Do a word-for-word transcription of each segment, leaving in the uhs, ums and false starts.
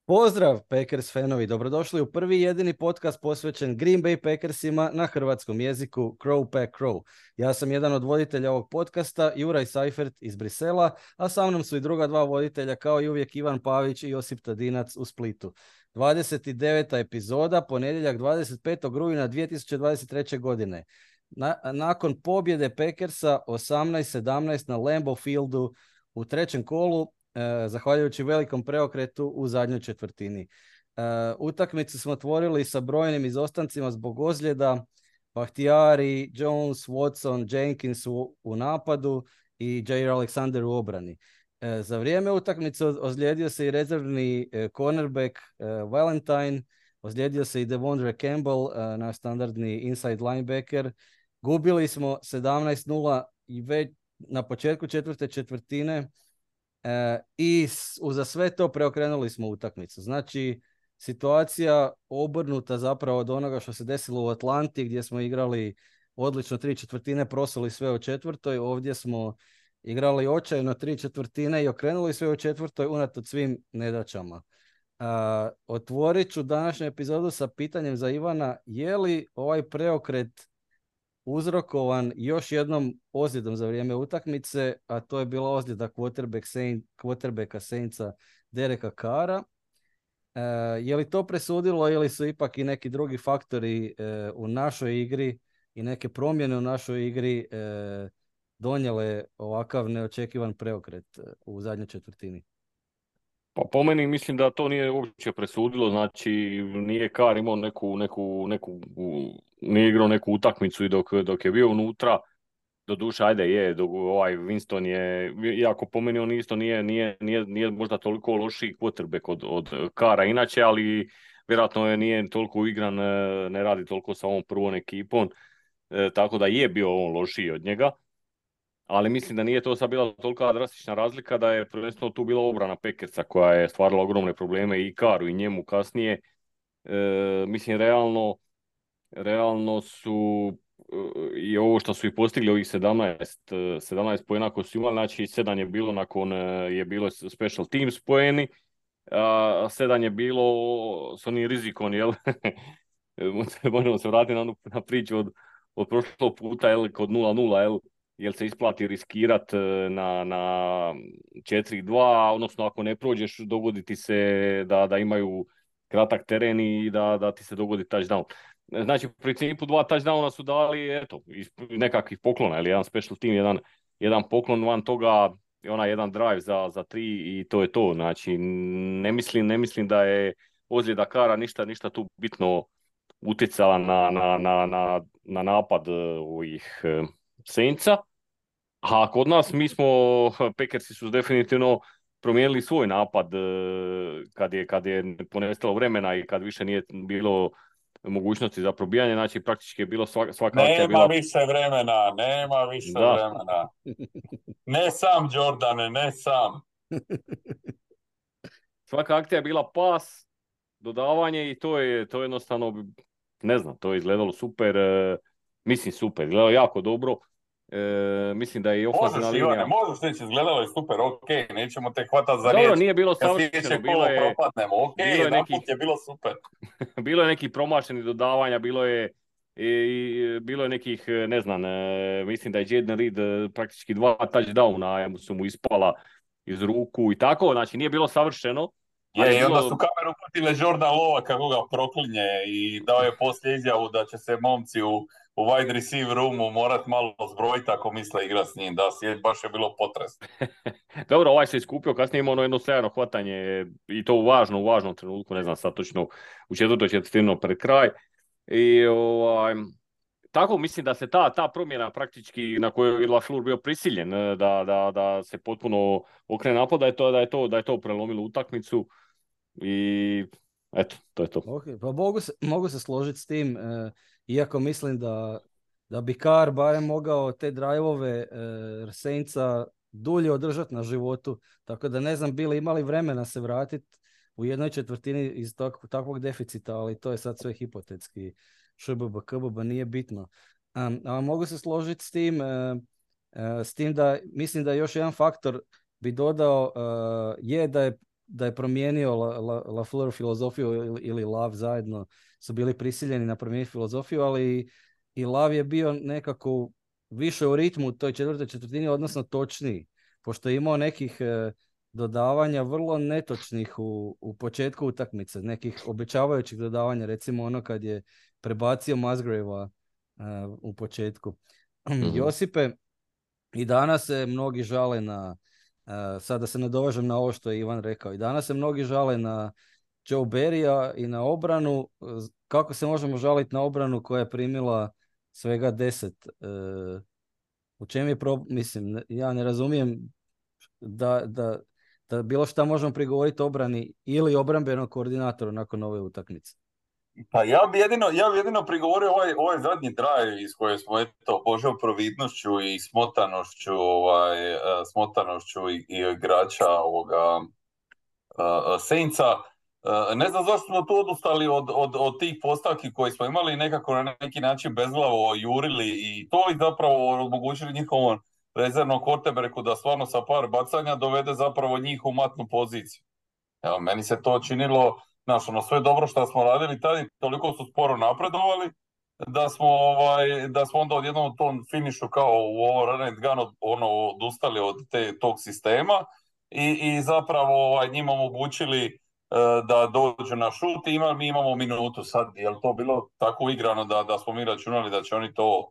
Pozdrav Packers fanovi, dobrodošli u prvi i jedini podcast posvećen Green Bay Packersima na hrvatskom jeziku Crow Pack Crow. Ja sam jedan od voditelja ovog podcasta, Juraj Seifert iz Brisela, a sa mnom su i druga dva voditelja kao i uvijek Ivan Pavić i Josip Tadinac u Splitu. dvadeset deveta epizoda, ponedjeljak dvadeset petog rujna dvije tisuće dvadeset treće. godine. Na, nakon pobjede Packersa osamnaest sedamnaest na Lambeau Fieldu u trećem kolu, zahvaljujući velikom preokretu u zadnjoj četvrtini. Uh, utakmicu smo otvorili sa brojnim izostancima zbog ozljeda. Bahtiyari, Jones, Watson, Jenkins u, u napadu i Jair Alexander u obrani. Uh, za vrijeme utakmice ozlijedio se i rezervni uh, cornerback uh, Valentine, ozlijedio se i Devondre Campbell, uh, naš standardni inside linebacker. Gubili smo sedamnaest nula i već na početku četvrte četvrtine. E, I uza sve to preokrenuli smo utakmicu. Znači, situacija obrnuta zapravo od onoga što se desilo u Atlanti, gdje smo igrali odlično tri četvrtine, prosuli sve u četvrtoj. Ovdje smo igrali očajno tri četvrtine i okrenuli sve u četvrtoj unatoč svim nedaćama. E, otvorit ću današnju epizodu sa pitanjem za Ivana: je li ovaj preokret uzrokovan još jednom ozljedom za vrijeme utakmice, a to je bila ozljeda quarterback Saint, quarterbacka Saintsa Dereka Carra. E, je li to presudilo ili su ipak i neki drugi faktori e, u našoj igri i neke promjene u našoj igri e, donijele ovakav neočekivan preokret u zadnjoj četvrtini? Pa po meni mislim da to nije uopće presudilo, znači nije Carr imao neku, neku, neku, nije igrao neku utakmicu i dok, dok je bio unutra, doduše ajde je, dok ovaj Winston je, iako po meni on isto nije, nije, nije, nije možda toliko lošiji quarterback od, od Carra inače, ali vjerojatno je nije toliko igran, ne radi toliko sa ovom prvom ekipom, e, tako da je bio on lošiji od njega. Ali mislim da nije to sad bila tolika drastična razlika, da je prvenstveno tu bila obrana Packersa koja je stvarala ogromne probleme i Carru i njemu kasnije. E, mislim, realno, realno su e, i ovo što su i postigli, ovih sedamnaest, sedamnaest poena koji su imali, znači sedam je bilo nakon, je bilo special teams poeni, a sedam je bilo s onim rizikom, jel? Možemo se vratiti na, na priču od, od prošlog puta, jel, kod nula nula, jel? Jel se isplati riskirati na, na četiri dva, odnosno ako ne prođeš, dogoditi se da, da imaju kratak teren i da, da ti se dogodi touchdown. Znači, u principu dva touchdowna su dali, eto, nekakvih poklona, ili jedan special team, jedan, jedan poklon, van toga ona jedan drive za, za tri i to je to. Znači, ne mislim, ne mislim da je ozljeda Carra ništa, ništa tu bitno utjecala na, na, na, na, na napad ovih Saintsa. A kod nas mi smo, Packersi su definitivno promijenili svoj napad kad je, kad je ponestalo vremena i kad više nije bilo mogućnosti za probijanje, znači praktički je bilo svaka, svaka akcija bila... Nema više vremena, nema više da. vremena. Ne sam, Jordane, ne sam. Svaka akcija je bila pas, dodavanje i to je, to je jednostavno, ne znam, to je izgledalo super, mislim super, izgledalo jako dobro. E, mislim da je i ofenzivna linija... Ivane, možeš reći, izgledalo je super, ok, nećemo te hvatati za riječ. Dobro, nije bilo savršeno, bilo je... ok, jedan put je bilo super. Bilo je nekih promašenih dodavanja, bilo je i bilo je nekih, ne znam, e, mislim da je Jaden Reed praktički dva touchdowna su mu ispala iz ruku i tako, znači nije bilo savršeno. Je, je i bilo... onda su kameru pratile Jordan Lova kako ga proklinje i dao je poslije izjavu da će se momci u, u wide receiver roomu morat malo zbrojiti ako misle igra s njim, da si baš je bilo potres. Dobro, ovaj se iskupio, kasnije imao ono jedno sjajno hvatanje i to u važnom, u važnom trenutku, ne znam sad točno, u četvrtoj četvrtini pred kraj. I ovaj, tako mislim da se ta, ta promjena praktički na kojoj je LaFleur bio prisiljen da, da, da se potpuno okrene napad, da je to, da je to, da je to prelomilo utakmicu i eto, to je to. Okay, pa mogu se, mogu se složiti s tim, eh, iako mislim da, da bi Carr barem mogao te drive-ove eh, Saintsa dulje održati na životu, tako da ne znam bili imali vremena se vratiti u jednoj četvrtini iz tak, takvog deficita, ali to je sad sve hipotetski. ŠBB, KBB, nije bitno. Um, a mogu se složiti s tim, uh, uh, s tim da mislim da još jedan faktor bi dodao uh, je da je da je promijenio La, La, LaFleur filozofiju ili, ili Love zajedno su bili prisiljeni na promijeniti filozofiju, ali i Love je bio nekako više u ritmu u toj četvrtoj četvrtini, odnosno točniji, pošto je imao nekih e, dodavanja vrlo netočnih u, u početku utakmice, nekih obećavajućih dodavanja, recimo ono kad je prebacio Musgrave-a uh, u početku. Mm-hmm. Josipe, i danas se mnogi žale na, uh, sada se nadovežem na ovo što je Ivan rekao, i danas se mnogi žale na Joe Barrya i na obranu. Kako se možemo žaliti na obranu koja je primila svega deset? Uh, u čem je problem? Mislim, ja ne razumijem da, da, da bilo šta možemo prigovoriti obrani ili obrambenom koordinatoru nakon ove utakmice. Pa ja bi jedino, ja bi jedino prigovorio ovaj, ovaj zadnji drive iz koje smo eto Božjom providnošću i smotanošću, ovaj, smotanošću i, i igrača ovoga uh, Saintsa. Uh, ne znam zašto smo tu odustali od, od, od tih postavki koje smo imali i nekako na neki način bezglavo jurili i to i zapravo omogućili njihovom rezervnom quarterbacku da stvarno sa par bacanja dovede zapravo njih u matnu poziciju. Evo, meni se to činilo, znaš, ono sve dobro što smo radili tada i toliko su sporo napredovali da smo, ovaj, da smo onda odjednom u tom finišu kao u ovo run and gun ono, odustali od te, tog sistema i, i zapravo ovaj, njima omogućili uh, da dođu na šut i ima, mi imamo minutu sad. Je li to bilo tako igrano da, da smo mi računali da će oni to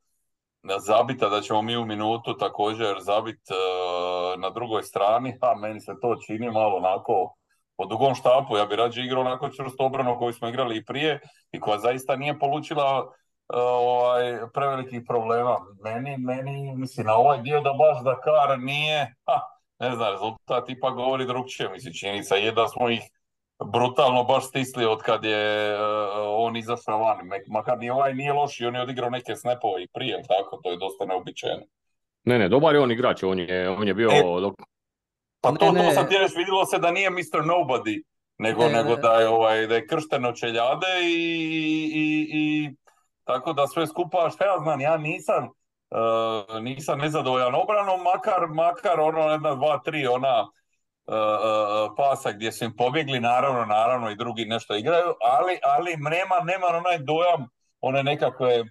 zabiti, a da ćemo mi u minutu također zabiti uh, na drugoj strani? A meni se to čini malo onako po dugom štapu. Ja bi rađe igrao onako čvrsto obranu koju smo igrali i prije i koja zaista nije polučila uh, ovaj, prevelikih problema. Meni, meni, mislim, na ovaj dio da baš Dakar nije, ha, ne znam, rezultat ipak govori drugčije. Mislim, činjenica je da smo ih brutalno baš stisli od kad je uh, on izašao van. Makar ni ovaj nije loš i on je odigrao neke snapove i prije, tako, to je dosta neobičajno. Ne, ne, dobar je on igrač, on je, on je bio... E, pa ne, to, ne. to sam ti reći, vidjelo se da nije mister Nobody, nego, ne, nego ne. da je, ovaj, da je kršten od čeljade i, i, i tako da sve skupa, šta ja znam, ja nisam, uh, nisam nezadovoljan obranom, makar, makar ono jedna, dva, tri, ona uh, uh, pasa gdje su im pobjegli, naravno, naravno i drugi nešto igraju, ali, ali nema, nema onaj dojam, one nekakve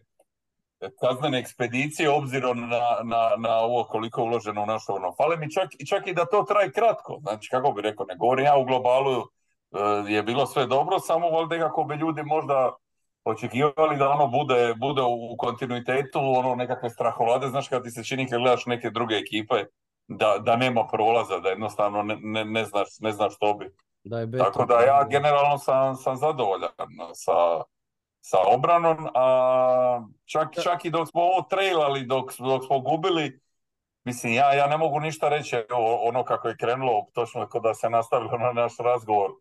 kaznene ekspedicije obzirom na, na, na ovo koliko je uloženo u našu ono. Fale mi čak, čak i da to traje kratko. Znači, kako bi rekao, ne govorim ja u globalu uh, je bilo sve dobro, samo valjda kako bi ljudi možda očekivali da ono bude, bude u kontinuitetu, ono nekakve strahovlade, znaš kad ti se čini kad gledaš neke druge ekipe, da, da nema prolaza, da jednostavno ne, ne, ne, znaš, ne znaš što bi. Da je Tako da ja generalno sam, sam zadovoljan sa sa obranom, a čak, čak i dok smo ovo trailali, dok, dok smo gubili, mislim, ja, ja ne mogu ništa reći o, ono kako je krenulo, točno kao da se nastavilo na naš razgovor,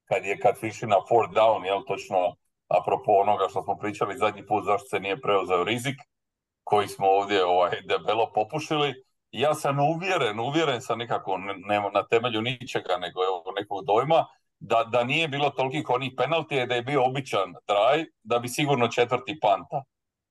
kad je kad fiši na fourth down, jel, točno, apropo onoga što smo pričali zadnji put, zašto se nije preuzeo rizik, koji smo ovdje ovaj, debelo popušili. Ja sam uvjeren, uvjeren sam nekako, ne, na temelju ničega, nego evo, nekog dojma, Da, da nije bilo tolikih onih penaltija, da je bio običan drive, da bi sigurno četvrti panta.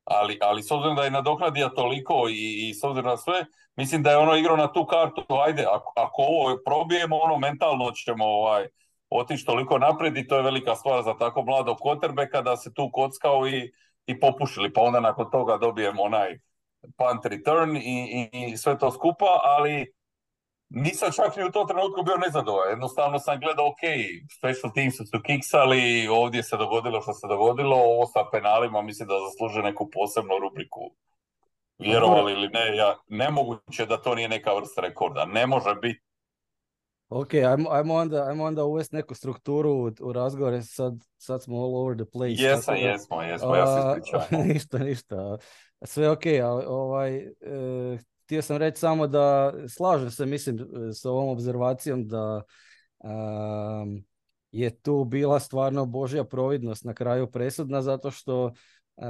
Ali, ali s obzirom da je nadoknadio toliko i, i s obzirom na sve, mislim da je ono igrao na tu kartu, ajde, ako, ako ovo probijemo, ono mentalno ćemo ovaj, otići toliko naprijed i to je velika stvar za tako mladog quarterbacka da se tu kockao i, i popušili, pa onda nakon toga dobijemo onaj punt return i, i, i sve to skupa, ali nisam čak ni u tom trenutku bio nezadovoljan. Jednostavno sam gledao, ok, special teams su kiksali, ovdje se dogodilo što se dogodilo, ovo sa penalima mislim da zaslužuje neku posebnu rubriku. Vjerovali ili ne, ja, nemoguće da to nije neka vrsta rekorda. Ne može biti. Ok, ajmo, ajmo, onda, ajmo onda uvesti neku strukturu u, u razgovore, sad, sad smo all over the place. Jesam, da, jesmo, jesmo, ja se ispričavam. ništa, ništa. Sve ok, ali ovaj, e, htio sam reći samo da slažem se, mislim, s ovom obzervacijom da um, je tu bila stvarno Božja providnost na kraju presudna, zato što Uh,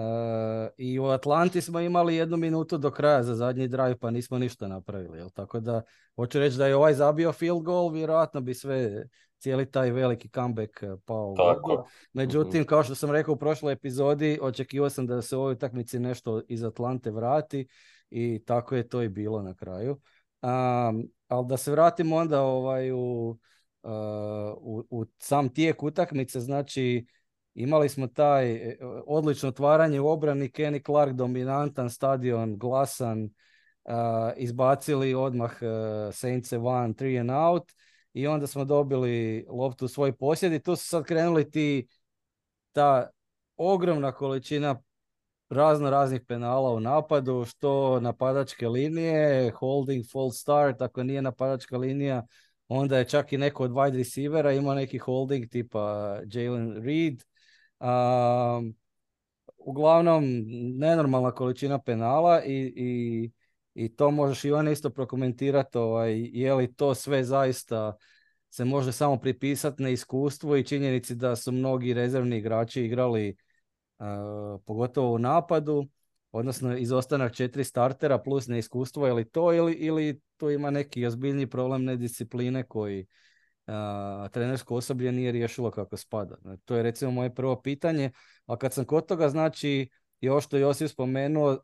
i u Atlanti smo imali jednu minutu do kraja za zadnji drive, pa nismo ništa napravili, jel? Tako da hoću reći da je ovaj zabio field goal, vjerojatno bi sve, cijeli taj veliki comeback pao u vodu. Međutim, kao što sam rekao u prošloj epizodi, očekivao sam da se u ovoj utakmici nešto iz Atlante vrati i tako je to i bilo na kraju. Um, ali da se vratimo onda ovaj u u, u sam tijek utakmice, znači imali smo taj e, odlično otvaranje u obrani, Kenny Clark dominantan, stadion glasan, uh, izbacili odmah uh, Saints van, three and out i onda smo dobili loptu u svoj posjed i tu su sad krenuli ti ta ogromna količina razno raznih penala u napadu, što napadačke linije, holding, false start, ako nije napadačka linija, onda je čak i neko od wide receivera imao neki holding tipa Jalen Reed. Um, uglavnom, nenormalna količina penala i, i, i to možeš Ivan isto prokomentirati, ovaj, je li to sve zaista se može samo pripisati neiskustvu i činjenici da su mnogi rezervni igrači igrali uh, pogotovo u napadu, odnosno izostanak četiri startera plus neiskustvo, je li to ili, ili tu ima neki ozbiljni problem nediscipline koji uh, trenersko osoblje nije riješilo kako spada. To je recimo moje prvo pitanje, a kad sam kod toga, znači još što Josip spomenuo, uh,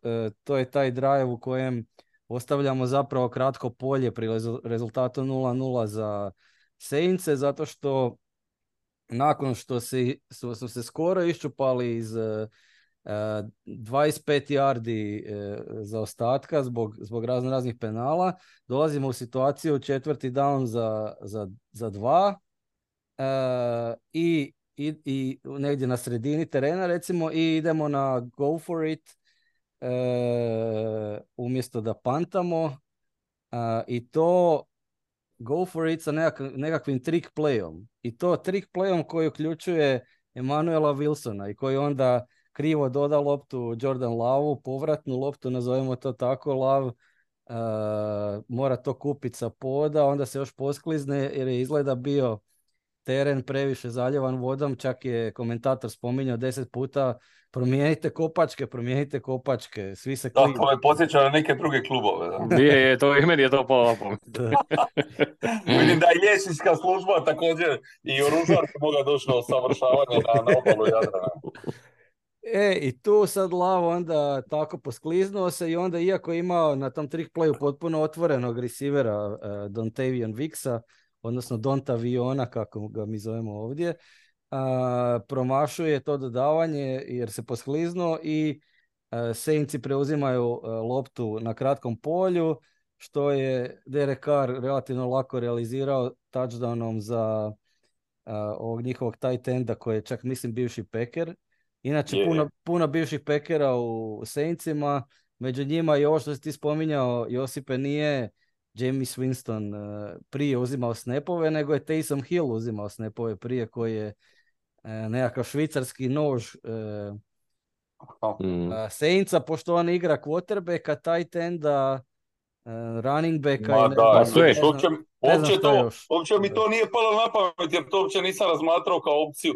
to je taj drive u kojem ostavljamo zapravo kratko polje pri rezultatu nula nula za Saintse, zato što nakon što se, su, su se skoro iščupali iz uh, dvadeset pet yardi uh, zaostatka zbog, zbog razno raznih penala, dolazimo u situaciju četvrti down za, za, za dva uh, i, i, i negdje na sredini terena recimo i idemo na go for it uh, umjesto da pantamo uh, i to go for it sa nekak, nekakvim trick playom. I to trick playom koji uključuje Emanuela Wilsona i koji onda krivo doda loptu Jordan Lovu, povratnu loptu, nazovemo to tako, Love uh, mora to kupiti sa poda, onda se još posklizne jer je izgleda bio teren previše zaljevan vodom, čak je komentator spominjao deset puta promijenite kopačke, promijenite kopačke, svi se klinu. Da, to je podsjeća na neke druge klubove. Da. Je, je, to i meni je to palo na pamet. Vidim da je liječnička služba također i oružarka moga doći na usavršavanje na, na obalu Jadrana. E, i tu sad Lavo onda tako poskliznuo se i onda iako je imao na tom trick playu potpuno otvorenog receivera uh, Dontavion Vicksa, odnosno Dontaviona, kako ga mi zovemo ovdje, uh, promašuje to dodavanje jer se poskliznuo i uh, Saintsi preuzimaju uh, loptu na kratkom polju, što je Derek Carr relativno lako realizirao touchdownom za uh, ovog njihovog tight enda koji je čak mislim bivši Packer. Inače, Yeah. puno, puno bivših Packera u Saintsima, među njima i ovo što si ti spominjao, Josipe, nije Jameis Winston uh, prije uzimao snapove, nego je Taysom Hill uzimao snapove prije, koji je uh, nekakav švicarski nož uh, Mm. uh, Saintsa, pošto on igra quarterbacka, tight enda, uh, running backa Ma i ne da, znam, sve. ne znam, uopće, ne znam uopće, što to, još. uopće mi Da. to nije palo na pamet jer to uopće nisam razmatrao kao opciju.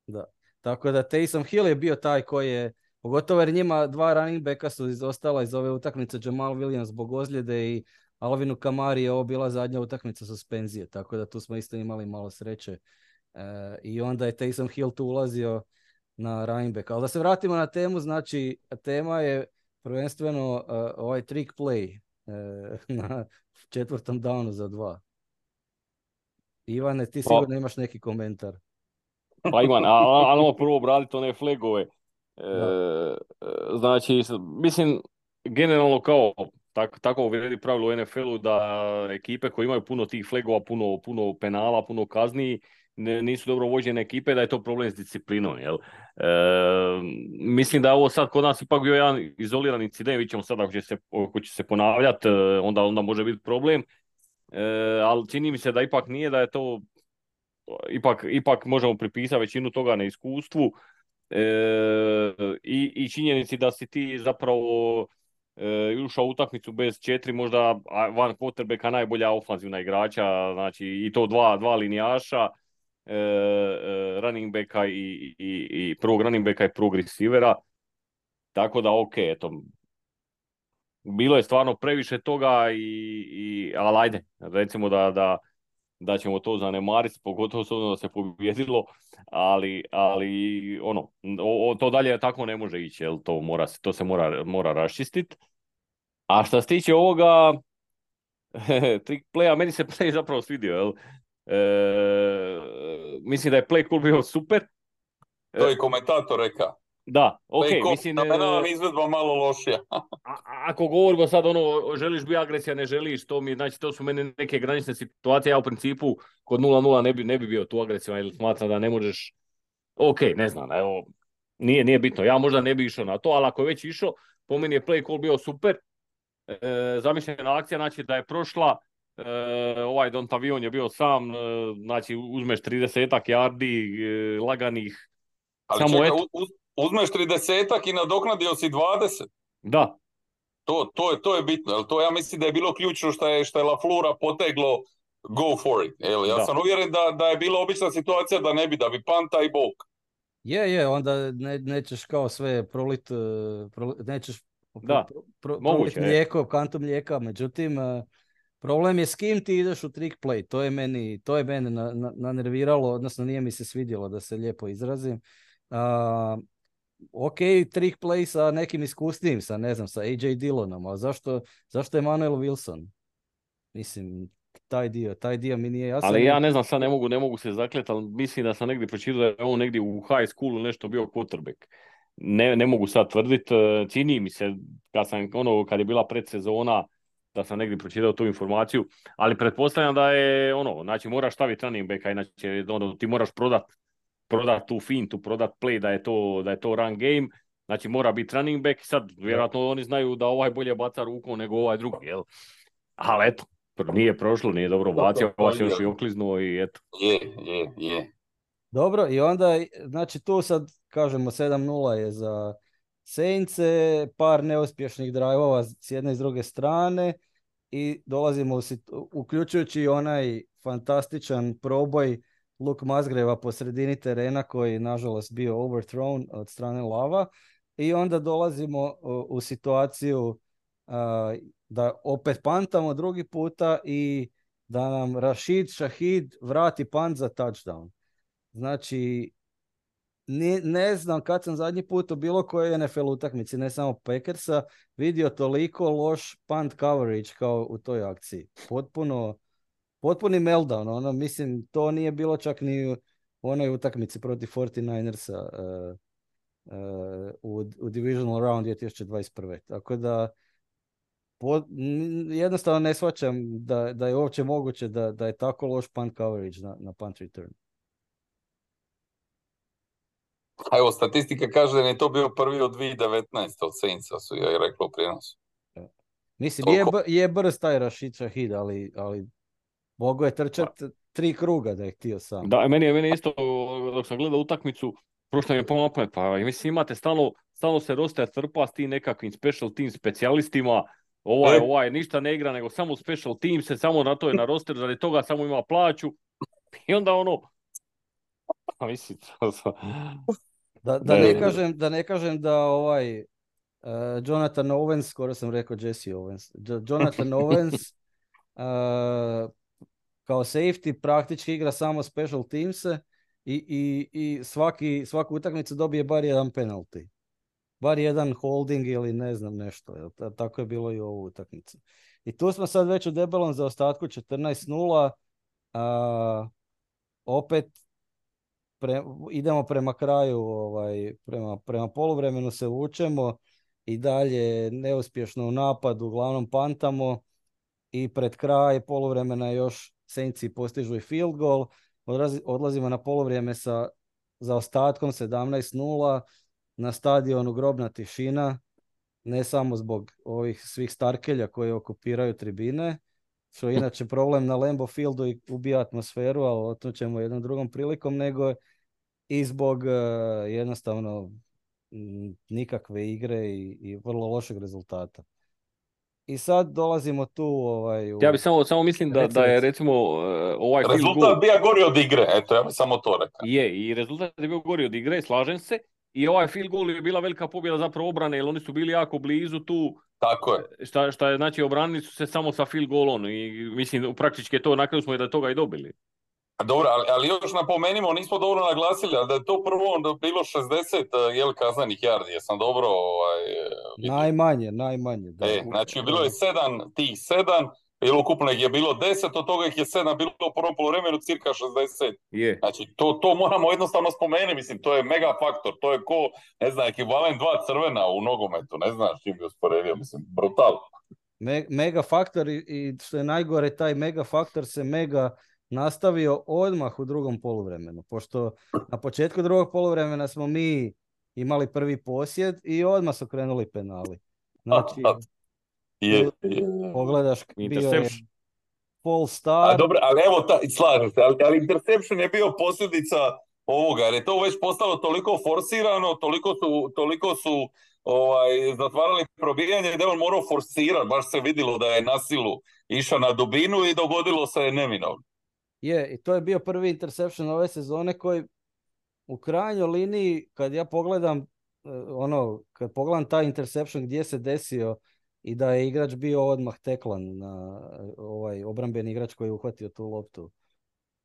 Da. Tako da Taysom Hill je bio taj koji je, pogotovo jer njima dva running backa su izostala iz ove utakmice, Jamal Williams zbog ozljede i Alvinu Kamari je ovo bila zadnja utakmica suspenzije, tako da tu smo isto imali malo sreće. E, I onda je Taysom Hill tu ulazio na running back. Ali da se vratimo na temu, znači tema je prvenstveno uh, ovaj trick play uh, na četvrtom downu za dva. Ivane, ti sigurno imaš neki komentar. Pa Ivan, ali ono prvo obraditi one flagove. E, Da. znači, mislim, generalno kao tak, tako vrijedi pravilo u N F L-u da ekipe koje imaju puno tih flagova, puno, puno penala, puno kazni, ne, nisu dobro vođene ekipe, da je to problem s disciplinom. Jel? E, mislim da je ovo sad kod nas ipak bio jedan izoliran incident, vidjet ćemo sad ako će se, ako će se ponavljati, onda, onda može biti problem. E, ali čini mi se da ipak nije, da je to Ipak, ipak možemo pripisati većinu toga na iskustvu e, i, i činjenici da si ti zapravo e, ušao u utakmicu bez četiri možda van quarterbacka najbolja ofanzivna igrača, znači i to dva, dva linijaša, e, e, running backa i, i, i prvog running backa i prvog receivera, tako da ok, eto, bilo je stvarno previše toga, i, i, ali ajde, recimo da, da da ćemo to zanemariti, pogotovo s obzirom da se pobjedilo, ali, ali ono, o, o, to dalje tako ne može ići, jel? To, mora, to se mora, mora raščistiti. A što se tiče ovoga trick playa, meni se play zapravo svidio, jel? E, mislim da je play call bio super. To je komentator rekao. Da, ok, Play call, mislim... fenomenalan, izvedba malo lošija. a, a- ako govorimo sad ono, želiš biti agresija, ne želiš, to mi, znači to su meni neke granične situacije, ja u principu kod nula nula ne bi, ne bi bio tu agresija, jer smatram da ne možeš, ok, ne znam, evo, nije, nije bitno, ja možda ne bi išao na to, ali ako je već išao, po meni je play call bio super, e, zamišljena akcija, znači da je prošla, e, ovaj Dontavion je bio sam, e, znači uzmeš tridesetak yardi, e, laganih, Ali samo čekaj, eto, uz, uzmeš tridesetak i nadoknadio si dvadeset. da, To, to, je, to je bitno, jel to ja mislim da je bilo ključno što je, što je LaFleur poteglo go for it. Jel? Ja da. sam uvjeren da, da je bila obična situacija da ne bi, da bi panta i bok. Je, je, onda ne, nećeš kao sve prolit, uh, proli- nećeš Da, pro, pro, moguće prolit je. mlijeko, kantu mlijeka, međutim, uh, problem je s kim ti ideš u trick play, to je meni, to je mene na, na, nanerviralo, odnosno nije mi se svidjelo da se lijepo izrazim. Uh, ok, trick play sa nekim iskusnijim, sa ne znam, sa A J Dillonom, a zašto, zašto je Manuel Wilson? Mislim, taj dio, taj dio mi nije jasan. Ali i- ja ne znam, sad ne mogu, ne mogu se zakljeti, ali mislim da sam negdje pročitao da je on negdje u high schoolu nešto bio quarterback. Ne, ne mogu sad tvrditi, čini mi se, kad, sam, ono, kad je bila predsezona, da sam negdje pročitao tu informaciju, ali pretpostavljam da je ono, znači moraš staviti running backa, inače ono, ti moraš prodat, prodat tu fintu, prodat play da je to, da je to run game, znači mora biti running back, sad vjerojatno oni znaju da ovaj bolje baca rukom nego ovaj drugi, jel? Ali eto, nije prošlo, nije dobro bacio, to ovaj se je. još i okliznuo i eto. Je, je, je. Dobro, i onda, znači tu sad, kažemo, sedam nula je za Saintse, par neuspješnih drajvova s jedne i s druge strane i dolazimo u situ- uključujući i onaj fantastičan proboj Luke Musgrava po sredini terena koji nažalost bio overthrown od strane Lava i onda dolazimo u, u situaciju a, da opet pantamo drugi puta i da nam Rashid Shahid vrati pant za touchdown. Znači, ne, ne znam kad sam zadnji put u bilo kojoj N F L utakmici, ne samo Packersa, vidio toliko loš punt coverage kao u toj akciji. Potpuno, potpuni meltdown. Ono, mislim, to nije bilo čak ni u onoj utakmici protiv forty-ninersa uh, uh, u, u Divisional Round dvije tisuće dvadeset prve. Tako da, po, n- jednostavno ne shvaćam da, da je uopće moguće da, da je tako loš punt coverage na, na punt return. A evo, statistika kaže da je to bio prvi od dvije tisuće devetnaeste od Saintsa, su joj reklo u prijenosu. Mislim, je, Toliko. b- je brz taj Rashid Shahid, ali, ali mogo je trčat tri kruga da je htio sam. Da, meni je, meni je isto, dok sam gledao utakmicu, prošlo mi je polo na pamet, pa mislim imate stalno, stalno se roster trpa s tim nekakvim special team specijalistima, ovaj, E. ovaj ništa ne igra, nego samo special team se samo na to je na roster, radi toga samo ima plaću i onda ono, pa mislim, to sam... Da, da, Ne, ne ne. kažem, da ne kažem da ovaj uh, Jonathan Owens, skoro sam rekao Jesse Owens, Jo- Jonathan Owens uh, kao safety praktički igra samo special teamse i, i, i svaki, svaku utakmicu dobije bar jedan penalty. Bar jedan holding ili ne znam nešto. Jel? Ta- Tako je bilo i u ovu utakmicu. I tu smo sad već u debelom zaostatku četrnaest nula. A, opet pre, idemo prema kraju, ovaj, prema, prema poluvremenu se vučemo i dalje neuspješno u napadu, uglavnom pantamo i pred kraj poluvremena još Saintsi postižu i field goal. Odlazi, odlazimo na poluvrijeme sa zaostatkom sedamnaest nula, na stadionu grobna tišina, ne samo zbog ovih svih starkelja koji okupiraju tribine, što je inače problem na Lambeau Fieldu i ubija atmosferu, ali o tom ćemo jednom drugom prilikom, nego i zbog uh, jednostavno m, nikakve igre i, i vrlo lošeg rezultata. I sad dolazimo tu ovaj, u... Ja bi samo, samo mislim da, Reci, da je reci. recimo uh, ovaj field goal... Rezultat bija gori od igre, eto, ja bih samo to rekao. Je, i rezultat je bio gori od igre, slažem se. I ovaj field goal je bila velika pobjeda zapravo obrane, jer oni su bili jako blizu tu. Tako je. Šta, šta je, znači, obranili su se samo sa field goalom i mislim, praktički je to, na kraju smo i da toga i dobili. A dobro, ali, ali još napomenimo, nismo dobro naglasili, ali da je to prvo bilo šezdeset jel, kazanih yardi, jesam dobro ovaj, vidio. Najmanje, najmanje. Da. E, znači bilo je sedam tih sedam, ili ukupno ih je bilo deset, od toga ih je sedam bilo u prvom poluvremenu, cirka šezdeset. Je. Znači, to, to moramo jednostavno spomenuti, mislim, to je mega faktor, to je ko, ne znam, ekvivalent dva crvena u nogometu, ne znam s čim bi usporedio, mislim, brutal. Me, mega faktor i, i što je najgore, taj mega faktor se mega nastavio odmah u drugom poluvremenu, pošto na početku drugog poluvremena smo mi imali prvi posjed i odmah su krenuli penali. Znači, je, je. pogledaš, bio je full A star. dobro, ali evo, ta, slažem se, ali, ali interception je bio posljedica ovoga, jer je to već postalo toliko forsirano, toliko su, toliko su ovaj, zatvarali probijanje da je on morao forsirati, baš se vidjelo da je na silu išao na dubinu i dogodilo se neminovno. Je, i to je bio prvi interception ove sezone koji u krajnjoj liniji, kad ja pogledam, ono, kad pogledam taj interception gdje se desio i da je igrač bio odmah teklan na ovaj obrambeni igrač koji je uhvatio tu loptu.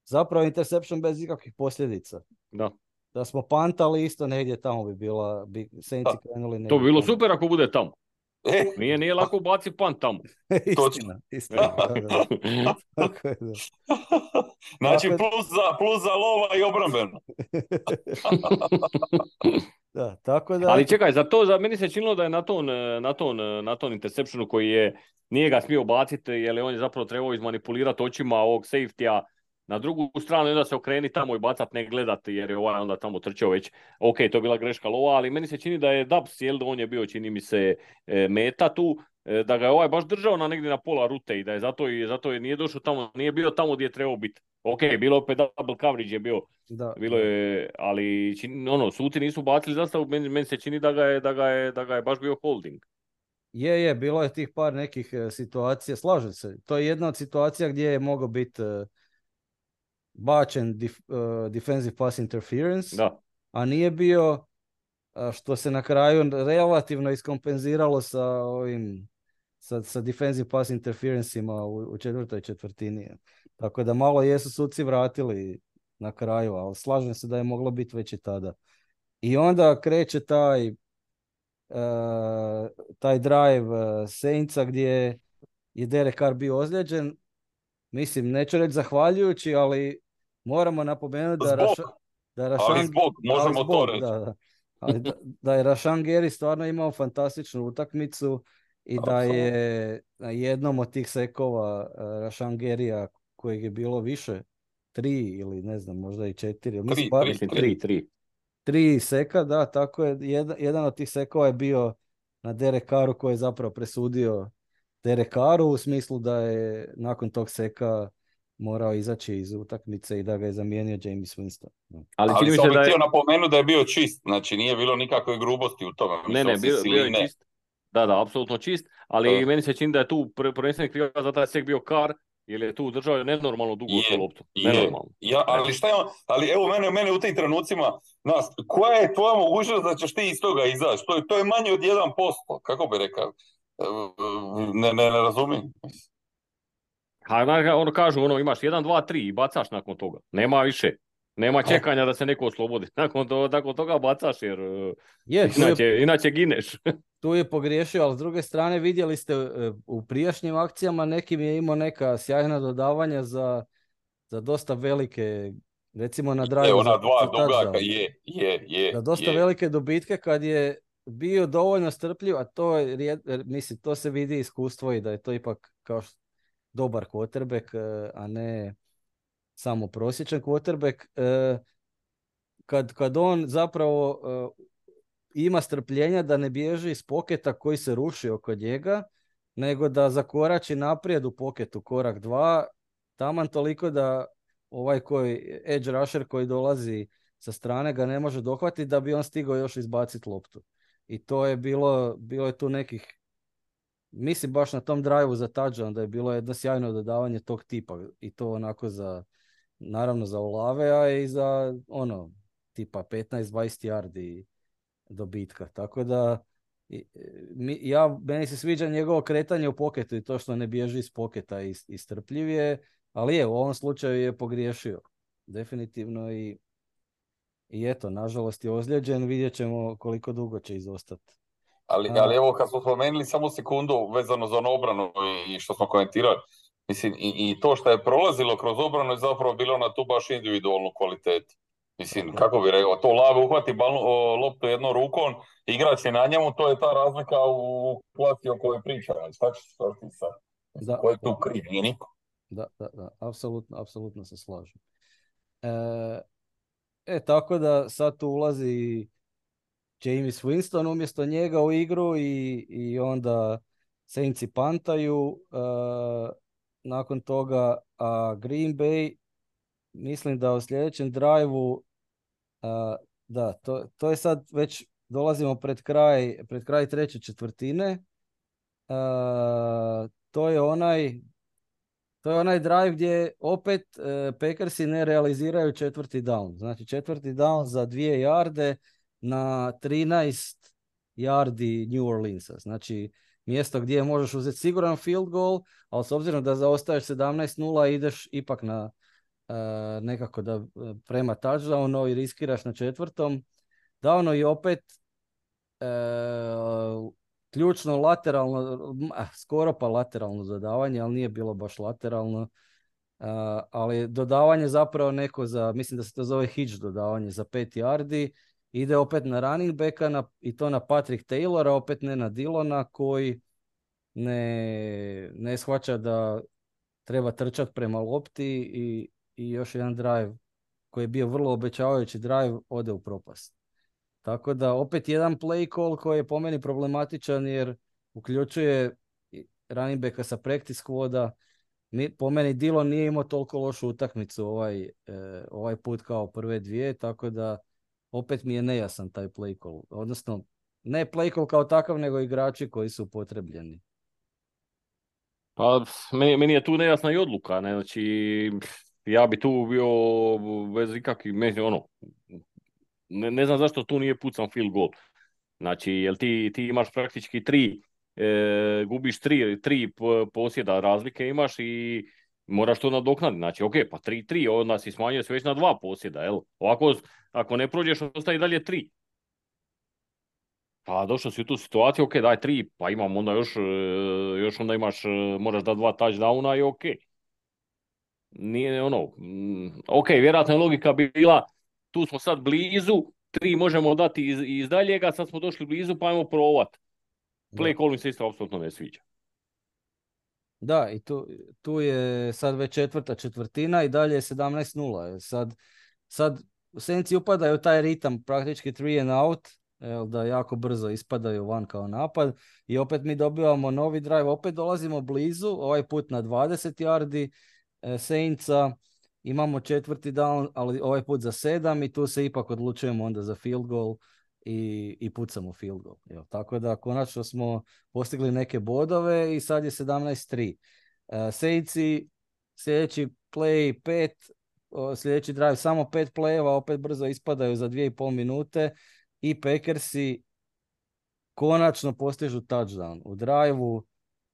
Zapravo interception bez ikakvih posljedica. Da. Da smo pantali isto negdje tamo bi bila, bi Saintsi krenuli negdje. To bi bilo tamo. super ako bude tamo. E, Nije, nije lako baciti pant tamo. istina, istina. Da, da. Tako je, da. Znači, Tako... plus za, plus za lova i obrambeno. Da, tako da... Ali čekaj, za to, za meni se činilo da je na ton, na ton, na ton interceptionu koji je, nije ga smio baciti, jer on je zapravo trebao izmanipulirati očima ovog safety-a na drugu stranu i onda se okreni tamo i bacat, ne gledati, jer je ovaj onda tamo trčao već. Ok, to je bila greška lova, ali meni se čini da je Dubs, jel, on je bio, čini mi se, meta tu, da ga je ovaj baš držao na negdje na pola rute i da je zato, i, zato je nije došao tamo, nije bio tamo gdje je trebao biti. Ok, bilo je opet double coverage je bio, da, bilo je, ali čini, ono, suci nisu bacili zastavu, meni, meni se čini da ga, je, da, ga je, da ga je baš bio holding. Je, je, bilo je tih par nekih uh, situacija, slažem se, to je jedna od situacija gdje je mogao biti uh, bačen dif, uh, defensive pass interference, da. a nije bio, uh, što se na kraju relativno iskompenziralo sa ovim, sa, sa defensive pass interferencima u, u četvrtoj četvrtini. Tako da malo jesu suci vratili na kraju, ali slažem se da je moglo biti već i tada. I onda kreće taj uh, taj drive uh, Saintsa gdje je Derek Carr bio ozlijeđen. Mislim, neću reći zahvaljujući, ali moramo napomenuti da, Raša, da Rašan... Ali zbog, možemo ali zbog, to reći. Da, da. Ali da, da je Rashan Gary stvarno imao fantastičnu utakmicu i da je na jednom od tih sekova uh, Rashan Garyja, kojeg je bilo više, tri ili ne znam, možda i četiri. Tri, bar, tri, tri, tri. Tri seka, da, tako je. Jedan, jedan od tih sekova je bio na Derek Carru koji je zapravo presudio Derek Carru u smislu da je nakon tog seka morao izaći iz utakmice i da ga je zamijenio James Winston. Ali, Ali sam da je... htio napomenuti da je bio čist, znači nije bilo nikakve grubosti u tome. Ne, ne, bio, bio je čist. Da, da, apsolutno čist, ali uh. meni se čini da je tu prvenstveni krivac za taj sek bio Carr, jer je tu držao nenormalno dugo je, tu loptu. Nenormalno. Ja, ali šta je on, ali evo mene, mene u tim trenucima, nas, koja je tvoja mogućnost da ćeš ti iz toga izaći? To je, to je manje od jedan posto, kako bi rekao? Ne, ne, ne razumijem. Ha, ono kažu, ono, imaš jedan, dva, tri i bacaš nakon toga. Nema više. Nema čekanja da se neko oslobodi. Nakon, to, nakon toga bacaš jer je, inače, je, inače gineš. Tu je pogriješio, ali s druge strane vidjeli ste u prijašnjim akcijama nekim je imao neka sjajna dodavanja za, za dosta velike, recimo na drive. Ona dva dugaka, je, je, je. Za dosta je. velike dobitke kad je bio dovoljno strpljiv, a to je, mislim, to se vidi iskustvo i da je to ipak kao što, dobar quarterback, a ne samo prosječan quarterback. Kad, kad on zapravo ima strpljenja da ne bježi iz poketa koji se ruši oko njega, nego da zakorači naprijed u poketu korak dva, taman toliko da ovaj koji, edge rusher koji dolazi sa strane ga ne može dohvatiti da bi on stigao još izbaciti loptu. I to je bilo, bilo je tu nekih, mislim baš na tom drive-u za touchdown da je bilo jedno sjajno dodavanje tog tipa i to onako za, naravno za Olave, a i za ono, tipa petnaest dvadeset yardi dobitka. Tako da mi, ja, meni se sviđa njegovo kretanje u poketu i to što ne bježi iz poketa i, i strpljiv je, ali je, u ovom slučaju je pogriješio. Definitivno i, i eto, nažalost je ozlijeđen, vidjet ćemo koliko dugo će izostati. Ali, ali evo kad smo spomenuli samo sekundu vezano za onu obranu i što smo komentirali, Mislim, i, i to što je prolazilo kroz obranu je zapravo bilo na tu baš individualnu kvalitetu. Mislim, Tako. kako bi rekao, to Lav uhvati balu, o, loptu jednom rukom, igrač je na njemu, to je ta razlika u klasi o kojoj pričamo. Šta ćeš šta ti sad? Mislim, Da, ko je tu kriv? Nije niko. da, da, da, apsolutno, apsolutno se slažem. E, e, tako da sad tu ulazi James Winston umjesto njega u igru i, i onda Saintsi pantaju. E, nakon toga a Green Bay, mislim da u sljedećem drive-u, a, da, to, to je sad već dolazimo pred kraj, pred kraj treće četvrtine. A, to je onaj To je onaj drive gdje opet e, Packersi ne realiziraju četvrti down. Znači četvrti down za dvije jarde na trinaest yardi New Orleansa. Znači mjesto gdje možeš uzeti siguran field goal, ali s obzirom da zaostaješ sedamnaest nula ideš ipak na e, nekako da prema touchdownu i riskiraš na četvrtom. Downu i opet e, ključno lateralno, skoro pa lateralno dodavanje, ali nije bilo baš lateralno. Uh, ali dodavanje zapravo neko za, mislim da se to zove hitch dodavanje za pet yardi, ide opet na running backa na, i to na Patrick Taylora, opet ne na Dillona koji ne, ne shvaća da treba trčati prema lopti i, i još jedan drive koji je bio vrlo obećavajući drive ode u propast. Tako da opet jedan play call koji je po meni problematičan jer uključuje running backa sa practice squada. Po meni Dillon nije imao toliko lošu utakmicu ovaj, eh, ovaj put kao prve dvije, tako da opet mi je nejasan taj play call. Odnosno, ne play call kao takav, nego igrači koji su potrebljeni. Pa, meni, meni je tu nejasna i odluka, ne, znači, ja bi tu bio bez ikakvih, ono, ne, ne znam zašto tu nije pucan field goal. Znači, jel ti, ti imaš praktički tri, e, gubiš tri, tri posjeda razlike imaš i moraš to nadoknaditi. Znači, ok, pa tri tri, onda si smanjio se već na dva posjeda, jel? Ovako, ako ne prođeš, ostaje dalje tri. Pa došao si u tu situaciju, ok, daj tri, pa imam onda još, još onda imaš, moraš da dva touchdowna i ok. Nije ono, ok, vjerojatno je logika bila, tu smo sad blizu, tri možemo dati iz, iz daljega, sad smo došli blizu, pa ajmo provat. Play call mi se isto apsolutno ne sviđa. Da, i tu, tu je sad već četvrta četvrtina i dalje je sedamnaest nula. Sad, sad Saintsi upadaju taj ritam, praktički three and out, jel, da jako brzo ispadaju van kao napad i opet mi dobivamo novi drive, opet dolazimo blizu, ovaj put na dvadeset yardi e, Saintsa, imamo četvrti down, ali ovaj put za sedam i tu se ipak odlučujemo onda za field goal i, i pucamo field goal. Jel, tako da konačno smo postigli neke bodove i sad je sedamnaest tri. E, Saintsi sljedeći play pet, sljedeći drive samo pet playeva, opet brzo ispadaju za dvije i pol minute i Packersi konačno postižu touchdown u drive-u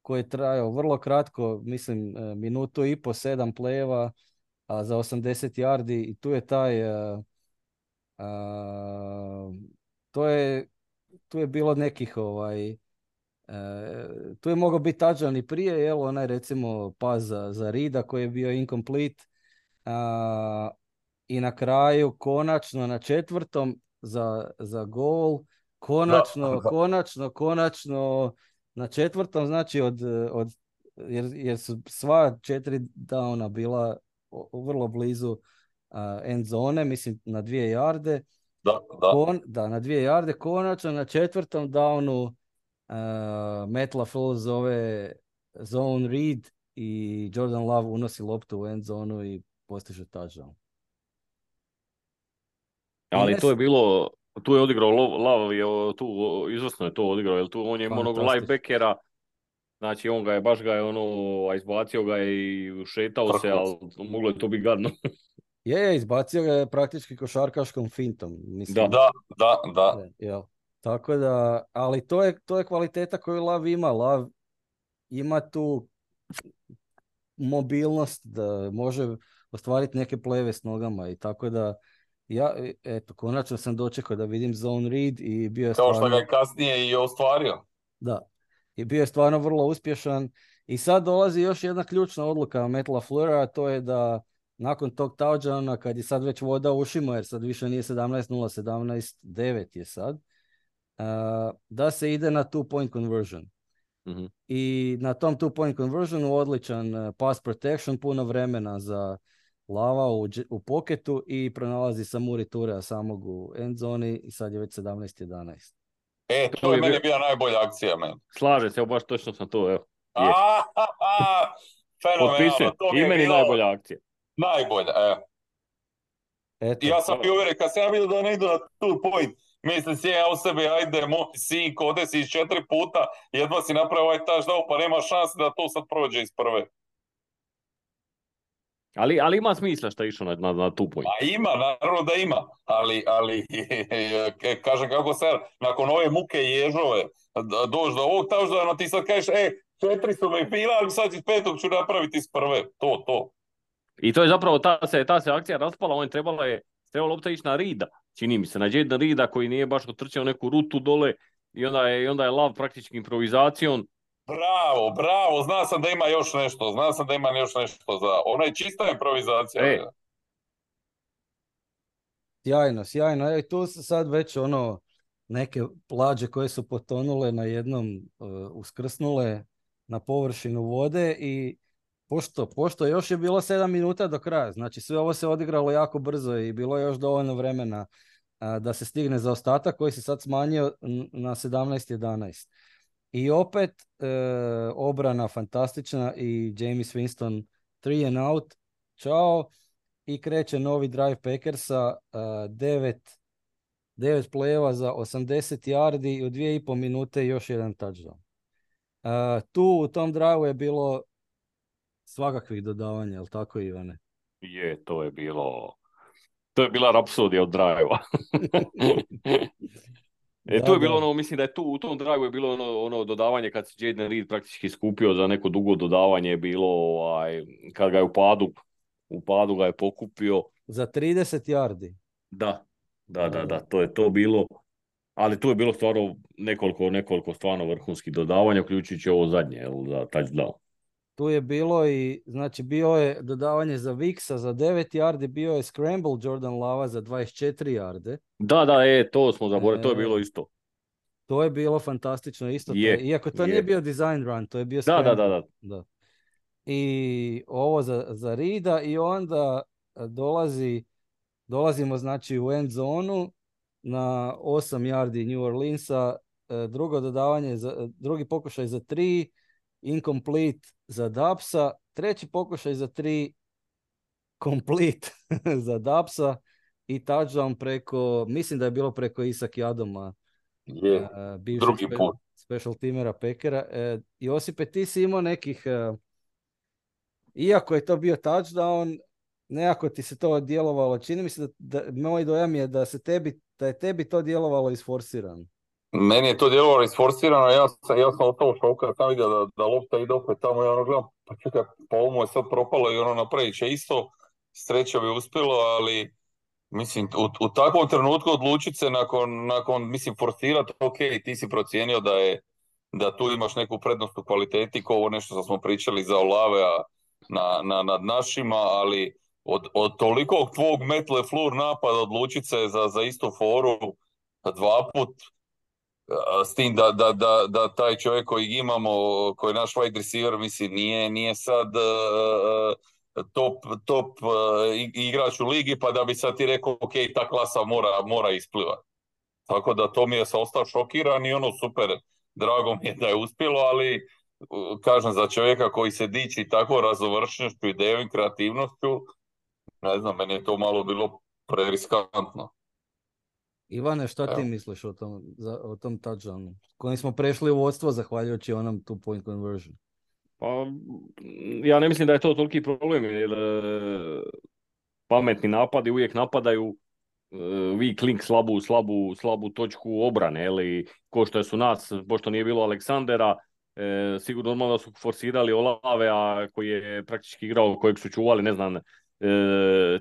koji je trajao vrlo kratko, mislim minutu i po, sedam playeva a za osamdeset yardi i tu je taj uh, uh, to je tu je bilo nekih ovaj uh, tu je mogao biti touchdown i prije, jel, onaj recimo pas za, za Rida koji je bio incomplete uh, i na kraju konačno na četvrtom za, za gol, konačno, Da, da. konačno, konačno na četvrtom, znači od, od jer, jer su sva četiri downa bila vrlo blizu uh, end zone, mislim na dvije jarde. Da, da. Kon, da, na dvije jarde, konačno na četvrtom downu uh, Matt LaFleur zove zone read i Jordan Love unosi loptu u end zonu i postiže touchdown. Ali Yes. to je bilo, tu je odigrao Love, je tu izvrsno je to odigrao, jer tu on je onog linebackera, znači on ga je, baš ga je ono, izbacio ga je i šetao se, ali moglo je to biti gadno. Je, je, izbacio ga je praktički košarkaškom fintom. Mislim. Da, da, da. da. Jel. Tako da, ali to je, to je kvaliteta koju Lav ima. Lav ima tu mobilnost da može ostvariti neke pleve s nogama i tako da ja, eto, konačno sam dočekao da vidim zone read i bio je Kao stvarno... što ga je kasnije i ostvario. Da, i bio je stvarno vrlo uspješan I sad dolazi još jedna ključna odluka Matt LaFleura, a to je da nakon tog touchdowna, kad je sad već voda u ušima, jer sad više nije sedamnaest nula, sedamnaest devet je sad, uh, da se ide na two point conversion. Mm-hmm. I na tom two point conversionu odličan uh, pass protection, puno vremena za Lava u, u poketu i pronalazi Samori Turea samog u end zoni i sad je već sedamnaest jedanaest. E, to, to je meni bila najbolja akcija, men. Slaže se, baš točno sam to, evo. A, fenomenalno, to mi je bilo najbolja akcija. Najbolja, evo. Eto. Ja sam bio uvjeren, kad sam ja vidio da ne idu na two point, mislim si ja u sebi, ajde, moj sin, kode si iz četiri puta, jedva si napravio ovaj touchdown, pa nema šanse da to sad prođe iz prve. Ali, ali ima smisla što je išao na, na, na two point. A ima, naravno da ima, ali, ali kažem kako sad, nakon ove muke i ježove, doći do ovog touchdowna, ti sad kažeš, e, četiri su me bila, ali sad iz petog ću napraviti iz prve, to, to. I to je zapravo, ta se, ta se akcija raspala, on je trebala je, trebalo lopta ići na Rida, čini mi se, na Jadena Rida koji nije baš otrčao neku rutu dole i onda je, i onda je Lav praktički improvizacijom. Bravo, bravo, zna sam da ima još nešto, zna sam da ima još nešto za, ona je čista improvizacija. E. Sjajno, sjajno, i tu su sad već ono, neke plađe koje su potonule na jednom, uh, uskrsnule na površinu vode i Pošto, pošto još je bilo sedam minuta do kraja, znači sve ovo se odigralo jako brzo i bilo je još dovoljno vremena a, da se stigne za ostatak koji se sad smanjio na sedamnaest jedanaest. I opet e, obrana fantastična i James Winston three and out, čao, i kreće novi drive Packersa, devet play-eva za osamdeset yardi i u dvije i pol minute još jedan touchdown. A, tu u tom drive je bilo svakakvih dodavanja, jel tako, Ivane? Je, to je bilo... To je bila rapsodija od drive-a. e, da, to je bilo da. ono, mislim da je tu, u tom drive-u je bilo ono, ono dodavanje kad se Jaden Reed praktički skupio za neko dugo dodavanje, je bilo ovaj, kad ga je u padu, u padu ga je pokupio. Za trideset yardi. Da, da, da, da, to je to bilo. Ali tu je bilo stvarno nekoliko, nekoliko stvarno vrhunskih dodavanja, uključujući ovo zadnje, jel, za touchdown. Tu je bilo i, znači, bio je dodavanje za Vixa za devet yardi, bio je scramble Jordan Lava za dvadeset četiri yarde. Da, da, e, to smo zaboravili, e, to je bilo isto. To je bilo fantastično isto. Je, to, iako to je. nije bio design run, to je bio da, scramble. da, da, da. da. I ovo za, za Rida i onda dolazi, dolazimo znači u end zonu na osam yardi New Orleansa, drugo dodavanje, za, drugi pokušaj za tri, incomplete za Dubsa, treći pokušaj za tri, complete za Dubsa i touchdown preko, mislim da je bilo preko Isak Jadoma, je, uh, bivšeg drugi spe, put. special teamera Packera. Uh, Josipe, ti si imao nekih, uh, iako je to bio touchdown, nekako ti se to djelovalo, čini mi se da, da moj dojam je da se tebi, da je tebi to djelovalo isforsirano. Meni je to djelovalo isforsirano, ja sam, ja sam ostao šoka, sam vidio da, da lopta ide opet tamo i ono gledam, pa čekaj, pa ovo mu je sad propalo i ono napravit će isto, sreća bi uspjelo, ali mislim, u, u takvom trenutku odlučiti se nakon, nakon mislim, forsirati, ok, ti si procijenio da je, da tu imaš neku prednost u kvaliteti, ko ovo nešto što smo pričali za Olave na, na, nad našima, ali od, od tolikog tvog Matt LaFleur napada odlučiti se za, za istu foru dva put, s tim da, da, da, da taj čovjek koji imamo, koji je naš wide receiver, mislim, nije, nije sad uh, top, top uh, igrač u ligi, pa da bi sad ti rekao, ok, ta klasa mora, mora isplivati. Tako da to mi je sam ostao šokiran i ono super, drago mi je da je uspjelo, ali uh, kažem, za čovjeka koji se diči tako razovršnošću, idejom i kreativnošću, ne znam, meni je to malo bilo preriskantno. Ivane, šta ti misliš o tom, za, o tom touchdownu? Kojim smo prešli u vodstvo zahvaljujući onom two point conversion? Pa, ja ne mislim da je to toliki problem, jer pametni napadi uvijek napadaju uh, weak link, slabu, slabu, slabu točku obrane, ili ko što su nas, pošto nije bilo Aleksandera, e, sigurno normalno da su forsirali Olave, a koji je praktički igrao, kojeg su čuvali, ne znam, e,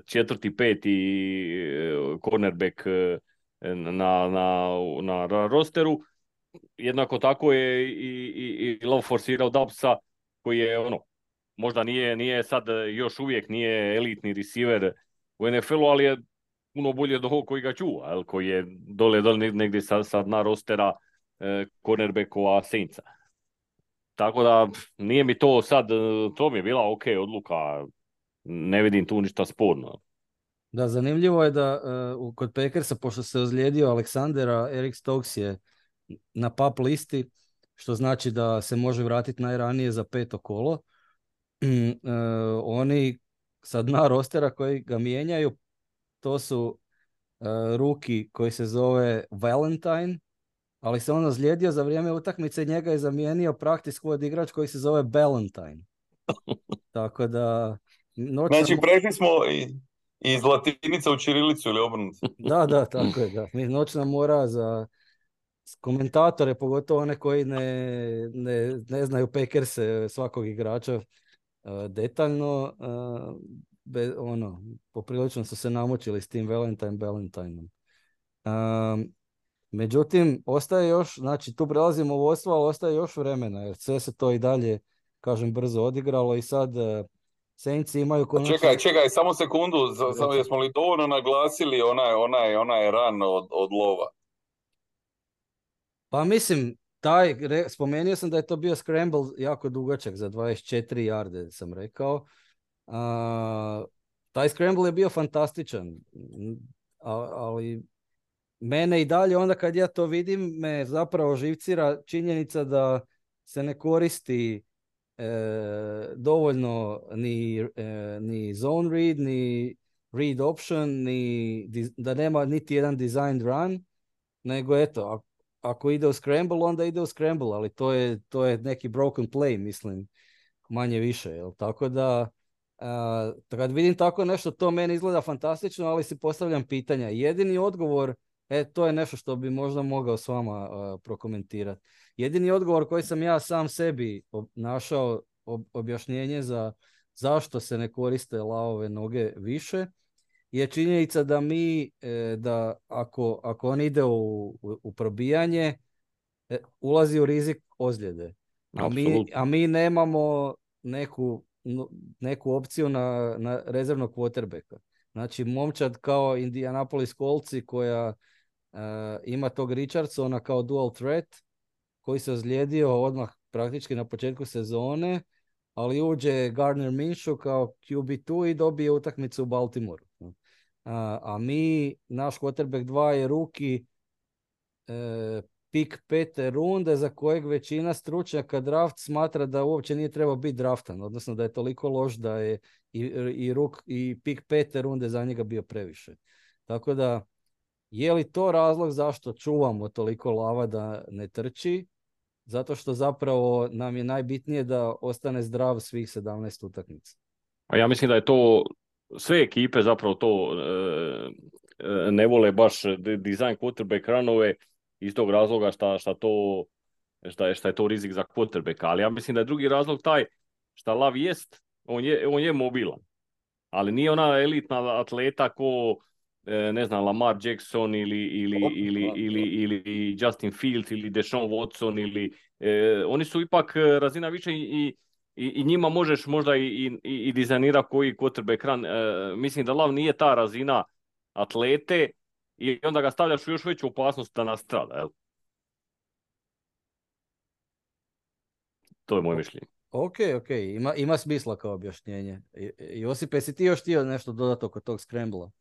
četvrti, peti e, cornerback e, Na, na, na rosteru. Jednako tako je i, i, i Love forsirao Dubsa, koji je ono, možda nije, nije sad još uvijek nije elitni receiver u N F L-u, ali je puno bolje od ovog koji ga čuva, jel, koji je dole, dole negdje sad, sad na rostera e, cornerbackova Saintsa. Tako da nije mi to sad, to mi je bila ok odluka, ne vidim tu ništa sporno. Da, zanimljivo je da uh, kod Packersa, pošto se ozlijedio Aleksandera, Eric Stokes je na pap listi, što znači da se može vratiti najranije za peto kolo. uh, oni sad na rostera koji ga mijenjaju, to su uh, ruki koji se zove Valentine, ali se on ozlijedio za vrijeme utakmice i njega je zamijenio practice squad igrač koji se zove Valentine. Tako da... Noćna... Znači, prešli smo i, iz latinica u ćirilicu ili obrnuto. Da, da, tako je. Da. Mi noćna mora za komentatore, pogotovo one koji ne, ne, ne znaju Packerse svakog igrača uh, detaljno, uh, be, ono, poprilično su se namučili s tim Valentine Valentineom. Um, međutim, ostaje još, znači tu prelazimo u vodstvo, ali ostaje još vremena, jer sve se to i dalje, kažem, brzo odigralo i sad uh, Saints imaju konačno... Čekaj, čekaj, samo sekundu, samo jesmo li dovoljno naglasili onaj, onaj, onaj ran od, od lova? Pa mislim, taj, re, spomenuo sam da je to bio scramble jako dugačak za dvadeset četiri yarde, sam rekao. A, taj scramble je bio fantastičan, a, ali mene i dalje onda kad ja to vidim me zapravo živcira činjenica da se ne koristi e, dovoljno ni, e, ni zone read, ni read option, ni, da nema niti jedan designed run, nego eto, ako ide u scramble, onda ide u scramble, ali to je, to je neki broken play, mislim, manje više, jel? Tako da, a, kad vidim tako nešto, to meni izgleda fantastično, ali si postavljam pitanja. Jedini odgovor, e, to je nešto što bi možda mogao s vama uh, prokomentirati. Jedini odgovor koji sam ja sam sebi ob- našao ob- objašnjenje za zašto se ne koriste lavove noge više, je činjenica da mi, da ako, ako on ide u, u, u probijanje, ulazi u rizik ozljede. A mi, a mi nemamo neku, neku opciju na, na rezervnog quarterbacka. Znači, momčad kao Indianapolis Coltsi koja uh, ima tog Richardsona kao dual threat, koji se ozlijedio odmah praktički na početku sezone, ali uđe Gardner Minshew kao Q B dva i dobije utakmicu u Baltimoreu. A, a mi, naš quarterback dva je ruki e, pik pete runde za kojeg većina stručnjaka draft smatra da uopće nije trebao biti draftan, odnosno da je toliko loš da je i, i, ruk, i pik pete runde za njega bio previše. Tako da, je li to razlog zašto čuvamo toliko lava da ne trči? Zato što zapravo nam je najbitnije da ostane zdrav svih sedamnaest utakmica. A ja mislim da je to, sve ekipe zapravo to e, ne vole baš design quarterback runove iz tog razloga šta, šta, to, šta, je, šta je to rizik za quarterbacka. Ali ja mislim da je drugi razlog taj šta Lav jest, on je, on je mobilan. Ali nije ona elitna atleta ko, ne znam, Lamar Jackson ili, ili, ili, ili, ili Justin Fields ili Deshaun Watson ili eh, oni su ipak razina više i, i, i njima možeš možda i, i, i dizajnira koji quarterback run. Eh, mislim da Lav nije ta razina atlete i onda ga stavljaš u još veću opasnost da nastrada. Jel? To je moje mišljenje. Ok, ok, ima, ima smisla kao objašnjenje. Josipe, si ti još htio nešto dodati oko tog scrambla?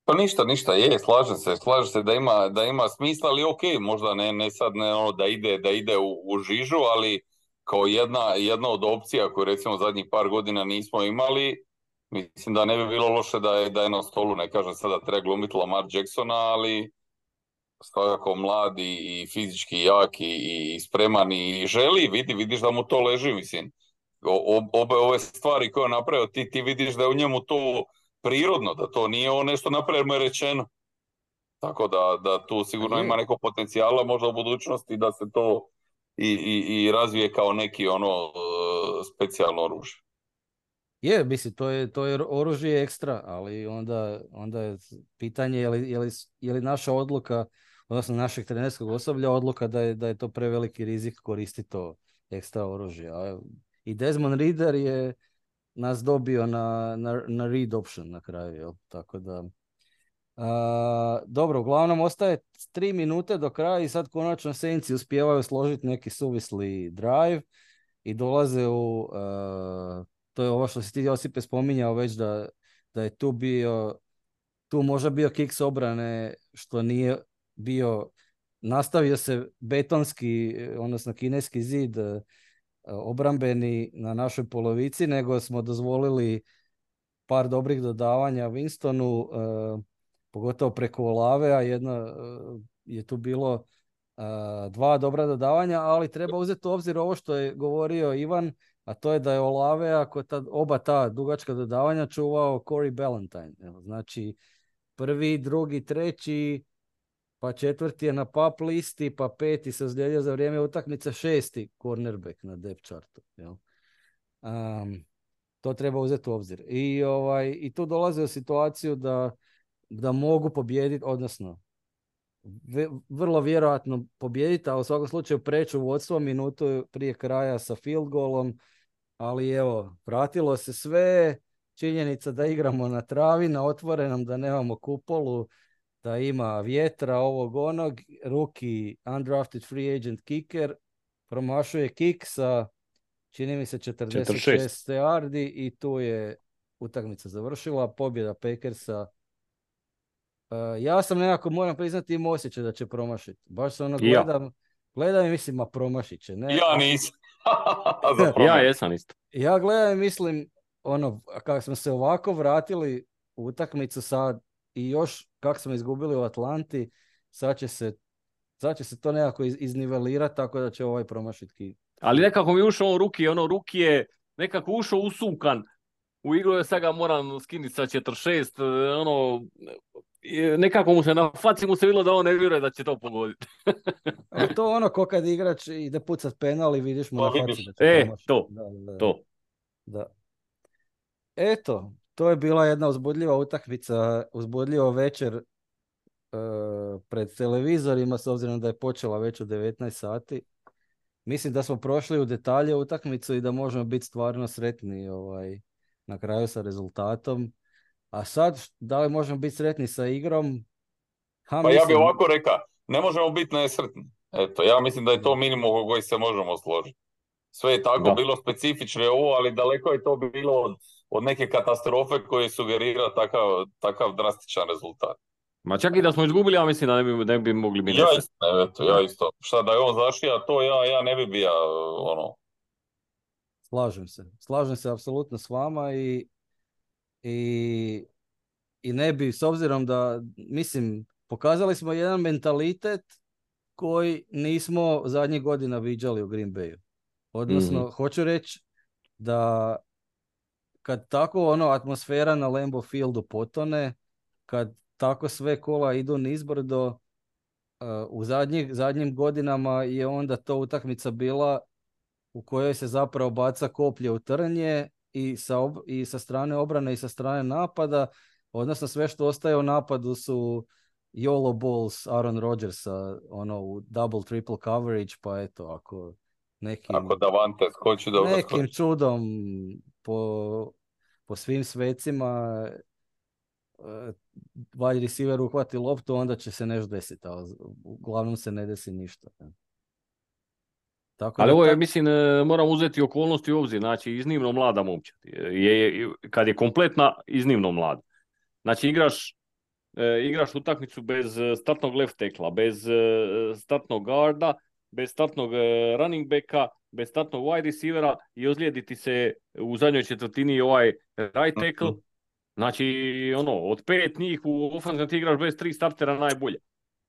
Pa ništa, ništa, je, slažem se, slažem se da ima, da ima smisla, ali ok, možda ne, ne sad ne ono da ide, da ide u, u žižu, ali kao jedna, jedna od opcija koju recimo zadnjih par godina nismo imali, mislim da ne bi bilo loše da je, da je na stolu, ne kažem sada treba glumiti Lamar Jacksona, ali svakako mlad i, i fizički jak i, i spreman i želi, vidi, vidiš da mu to leži, mislim. O, obe ove stvari koje je napravio, ti, ti vidiš da je u njemu to prirodno, da to nije ono nešto napravljeno rečeno. Tako da, da tu sigurno ima neko potencijala možda u budućnosti da se to i, i, i razvije kao neki ono specijalno oružje. Je, mislim, to je, to je oružje ekstra, ali onda, onda je pitanje je li, je, li, je li naša odluka, odnosno našeg trenerskog osoblja odluka da je, da je to preveliki rizik koristiti to ekstra oružje. A i Desmond Ridder je nas dobio na, na, na read option na kraju, jel? Tako da... Uh, dobro, uglavnom ostaje tri minute do kraja i sad konačno Saintsi uspijevaju složiti neki suvisli drive i dolaze u, uh, to je ovo što si ti Josipe spominjao već da, da je tu bio, tu možda bio kick s obrane što nije bio, nastavio se betonski, odnosno kineski zid uh, obrambeni na našoj polovici, nego smo dozvolili par dobrih dodavanja Winstonu, uh, pogotovo preko Olave, a jedno uh, je tu bilo uh, dva dobra dodavanja, ali treba uzeti u obzir ovo što je govorio Ivan, a to je da je Olave, ako ta, oba ta dugačka dodavanja čuvao Corey Ballantyne. Evo, znači, prvi, drugi, treći, pa četvrti je na pop listi, pa peti se ozlijedio za vrijeme utakmice, šesti cornerback na depth chartu. Jel? Um, to treba uzeti u obzir. I, ovaj, i tu dolaze u situaciju da da mogu pobijediti, odnosno v- vrlo vjerojatno pobijediti, a u svakom slučaju preću vodstvo minutu prije kraja sa field golom, ali evo, vratilo se sve, činjenica da igramo na travi, na otvorenom, da nemamo kupolu, da ima vjetra, ovog onog, rookie undrafted free agent kicker, promašuje kick sa, čini mi se, četrdeset šest yardi i tu je utakmica završila, pobjeda Packersa. Uh, ja sam nekako, moram priznati, imao osjećaj da će promašiti. Baš se ono gledam, ja. gledam i mislim, ma promašit će. Ne? Ja nisam. Ja jesam isto. Ja gledam i mislim, ono, kako smo se ovako vratili u utakmicu sad i još kako smo izgubili u Atlanti, sad će se, sad će se to nekako iz, iznivelirati tako da će ovaj promašiti. Ali nekako mi ušao on ruki, ono ruki je nekako ušao usukan u igru, je sad ga moram skinuti sa četrdeset šest, ono, nekako mu se na faci mu se vidjelo da on ne vjeruje da će to pogoditi. Ali to ono ko kad igrač ide pucat penal i vidiš mu na faci da će e, promašiti. to, da, da, to. Da. Eto, to je bila jedna uzbudljiva utakmica, uzbudljiva večer uh, pred televizorima, s obzirom da je počela već u devetnaest sati. Mislim da smo prošli u detalje utakmicu i da možemo biti stvarno sretni ovaj, na kraju sa rezultatom. A sad, da li možemo biti sretni sa igrom? Ha, pa mislim... ja bih ovako rekao, ne možemo biti nesretni. Eto, ja mislim da je to minimum o koji se možemo složiti. Sve je tako da. Bilo specifično ovo, ali daleko je to bilo od, od neke katastrofe koje sugerira takav, takav drastičan rezultat. Ma čak i da smo izgubili, ja mislim da ne bi, ne bi mogli biti nesretni. Ja, eto, ja isto. Šta da je on zašija, to ja, ja ne bi bio ono... Slažem se. Slažem se apsolutno s vama i I, i ne bi, s obzirom da, mislim, pokazali smo jedan mentalitet koji nismo zadnjih godina viđali u Green Bayu. Odnosno, mm-hmm. hoću reći da kad tako ono atmosfera na Lambeau Fieldu potone, kad tako sve kola idu nizbrdo, uh, u zadnjih, zadnjim godinama je onda to utakmica bila u kojoj se zapravo baca koplje u trnje i sa, ob- i sa strane obrane i sa strane napada, odnosno sve što ostaje u napadu su YOLO balls Aaron Rodgersa, ono u double triple coverage, pa eto, ako nekim, ako Davante skoči dobro nekim skoči. čudom po, po svim svecima wide receiver uhvati loptu, onda će se nešto desiti, ali uglavnom se ne desi ništa. Tako ali ovo je, tak... mislim, moram uzeti okolnosti u obzir, znači iznimno mlada momčad. Je, je, kad je kompletna, iznimno mlada. Znači igraš, e, igraš utakmicu bez startnog left tackla, bez e, startnog guarda, bez startnog e, running backa, bez startnog wide receivera i ozlijediti se u zadnjoj četvrtini ovaj right tackle. Znači, ono, od pet njih u ofenzivnom ti igraš bez tri startera najbolje.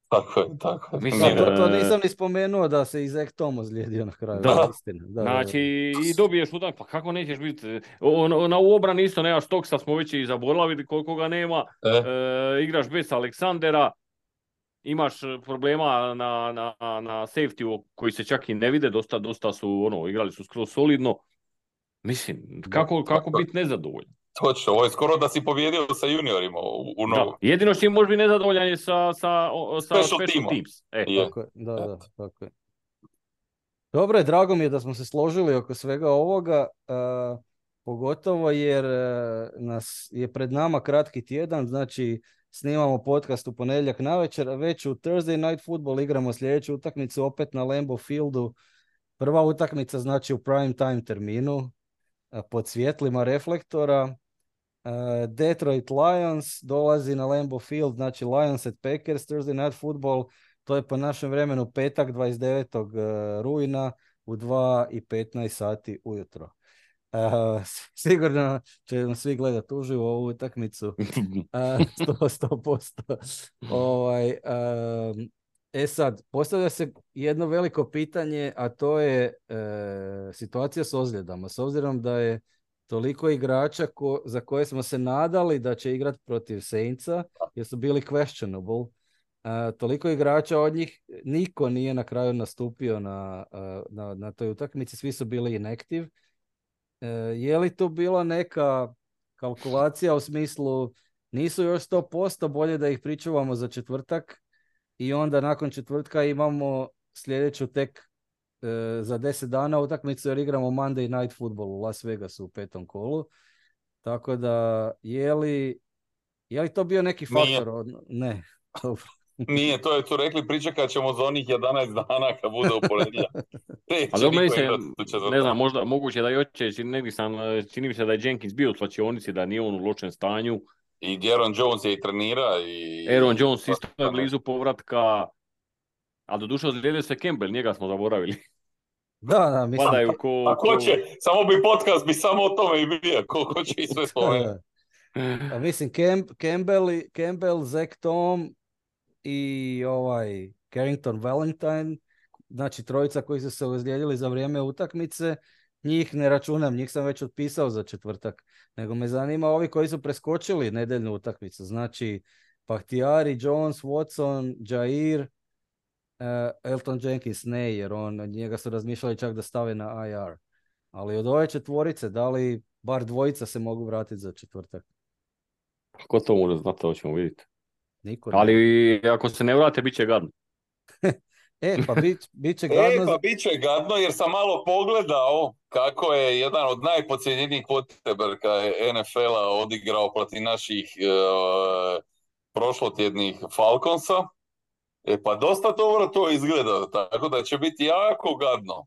Tako je, tako je. Mislim, to, to nisam ni spomenuo da se i Zach Tom ozlijedio na kraju. Da, istina. Da, znači da, da. i dobiješ utak, pa kako nećeš biti, o, na u obrani isto nemaš Stoksa, smo već i zaboravili koliko ga nema, e. E, igraš bez Aleksandera, imaš problema na, na, na safety koji se čak i ne vide, dosta, dosta su, ono, igrali su skroz solidno. Mislim, kako, kako biti nezadovoljan? Točno, ovo je skoro da si pobjedio sa juniorima u, u novu. Jedino što im može biti nezadovoljan je sa, sa, sa special, special teams. E. Je. Tako je, da, da, tako je. Dobro je, drago mi je da smo se složili oko svega ovoga, uh, pogotovo jer uh, nas je pred nama kratki tjedan, znači snimamo podcast u ponedjeljak navečer, a već u Thursday Night Football igramo sljedeću utakmicu opet na Lambeau Fieldu. Prva utakmica znači u prime time terminu, uh, pod svjetlima reflektora. Uh, Detroit Lions dolazi na Lambeau Field, znači Lions at Packers, Thursday Night Football. To je po našem vremenu petak dvadeset devetog rujna u dva i petnaest sati ujutro. Uh, sigurno će nam svi gledati uživo ovu utakmicu. Uh, sto, sto posto. Ovaj, um, e sad, postavlja se jedno veliko pitanje, a to je uh, situacija s ozljedama. S obzirom da je toliko igrača ko, za koje smo se nadali da će igrati protiv Saintsa, jer su bili questionable. Uh, toliko igrača od njih, niko nije na kraju nastupio na, uh, na, na toj utakmici, svi su bili inactive. Uh, je li tu bila neka kalkulacija u smislu nisu još sto posto, bolje da ih pričuvamo za četvrtak i onda nakon četvrtka imamo sljedeću tek uh, za deset dana utakmicu jer igramo Monday Night Football u Las Vegasu u petom kolu. Tako da je li, je li to bio neki faktor? Od... Ne. Nije, to je tu rekli, pričekat ćemo za onih jedanaest dana kad bude u ponedjeljak. Ali u meni se, ne znam, možda moguće da i oće, negdje sam, čini mi se da je Jenkins bio u slačionici, da nije on u lošem stanju. I Aaron Jones je i trenira. I... Aaron Jones isto je blizu povratka, ali doduše ozlijedio se Campbell, njega smo zaboravili. Da, da, mislim. Padaju ko, a ko, ko će, samo bi podcast bi samo o tome i bio, ko, ko će i sve spomenuti. A mislim, Camp, Campbell, Campbell, Zach Tom i ovaj Carrington Valentine, znači trojica koji su se ozlijedili za vrijeme utakmice, njih ne računam, njih sam već otpisao za četvrtak, nego me zanima ovi koji su preskočili nedeljnu utakmicu, znači Bakhtiari, Jones, Watson, Jair, uh, Elton Jenkins ne, jer on, njega su razmišljali čak da stave na I R, ali od ove četvorice, da li bar dvojica se mogu vratiti za četvrtak? Ko to može znati, to ćemo vidjeti. Niko ali ne. Ako se ne vrate, bit će gadno. e, pa bit, bit će gadno. E, pa bit će gadno jer sam malo pogledao kako je jedan od najpocijenjenijih quarterbacka N F L-a odigrao protiv naših uh, prošlotjednih Falconsa. E, pa dosta dobro to izgleda, tako da će biti jako gadno.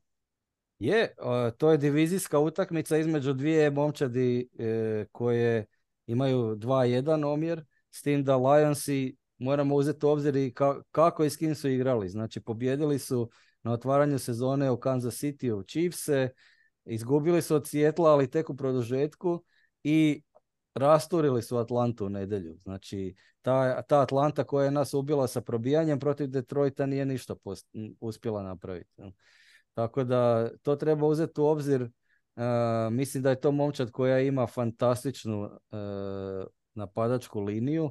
Je, uh, to je divizijska utakmica između dvije momčadi uh, koje imaju dva jedan omjer, s tim da Lionsi moramo uzeti u obzir i ka- kako i s kim su igrali. Znači, pobjedili su na otvaranju sezone u Kansas City u Chiefse, izgubili su od Seattle, ali tek u produžetku i rasturili su Atlantu u nedjelju. Znači, ta, ta Atlanta koja je nas ubila sa probijanjem protiv Detroita nije ništa post- uspjela napraviti. Tako da to treba uzeti u obzir. Uh, mislim da je to momčad koja ima fantastičnu uh, napadačku liniju.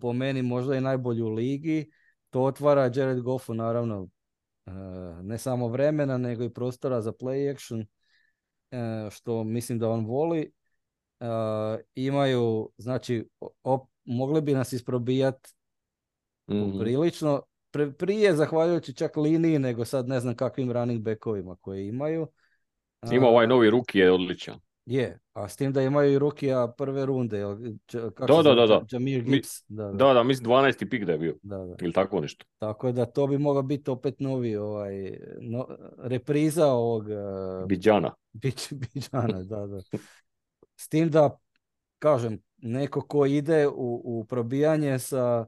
Po meni možda i najbolju u ligi. To otvara Jared Goffu naravno uh, ne samo vremena nego i prostora za play action, uh, što mislim da on voli. Uh, imaju, znači op, mogli bi nas isprobijati mm-hmm. prilično Pre, prije zahvaljujući čak liniji nego sad ne znam kakvim running backovima koje imaju. Ima ovaj novi ruki je odličan. Je, a s tim da imaju i rukija prve runde. Kako da, da, da, da. Jamir Gibbs. Mi, da, da. da, da, mislim dvanaesti pik da je bio. Da, da. Ili tako nešto. Tako da to bi mogao biti opet novi ovaj, no, repriza ovog... Uh, Bidžana. Bić, Bidžana, da, da. S tim da, kažem, neko ko ide u, u probijanje sa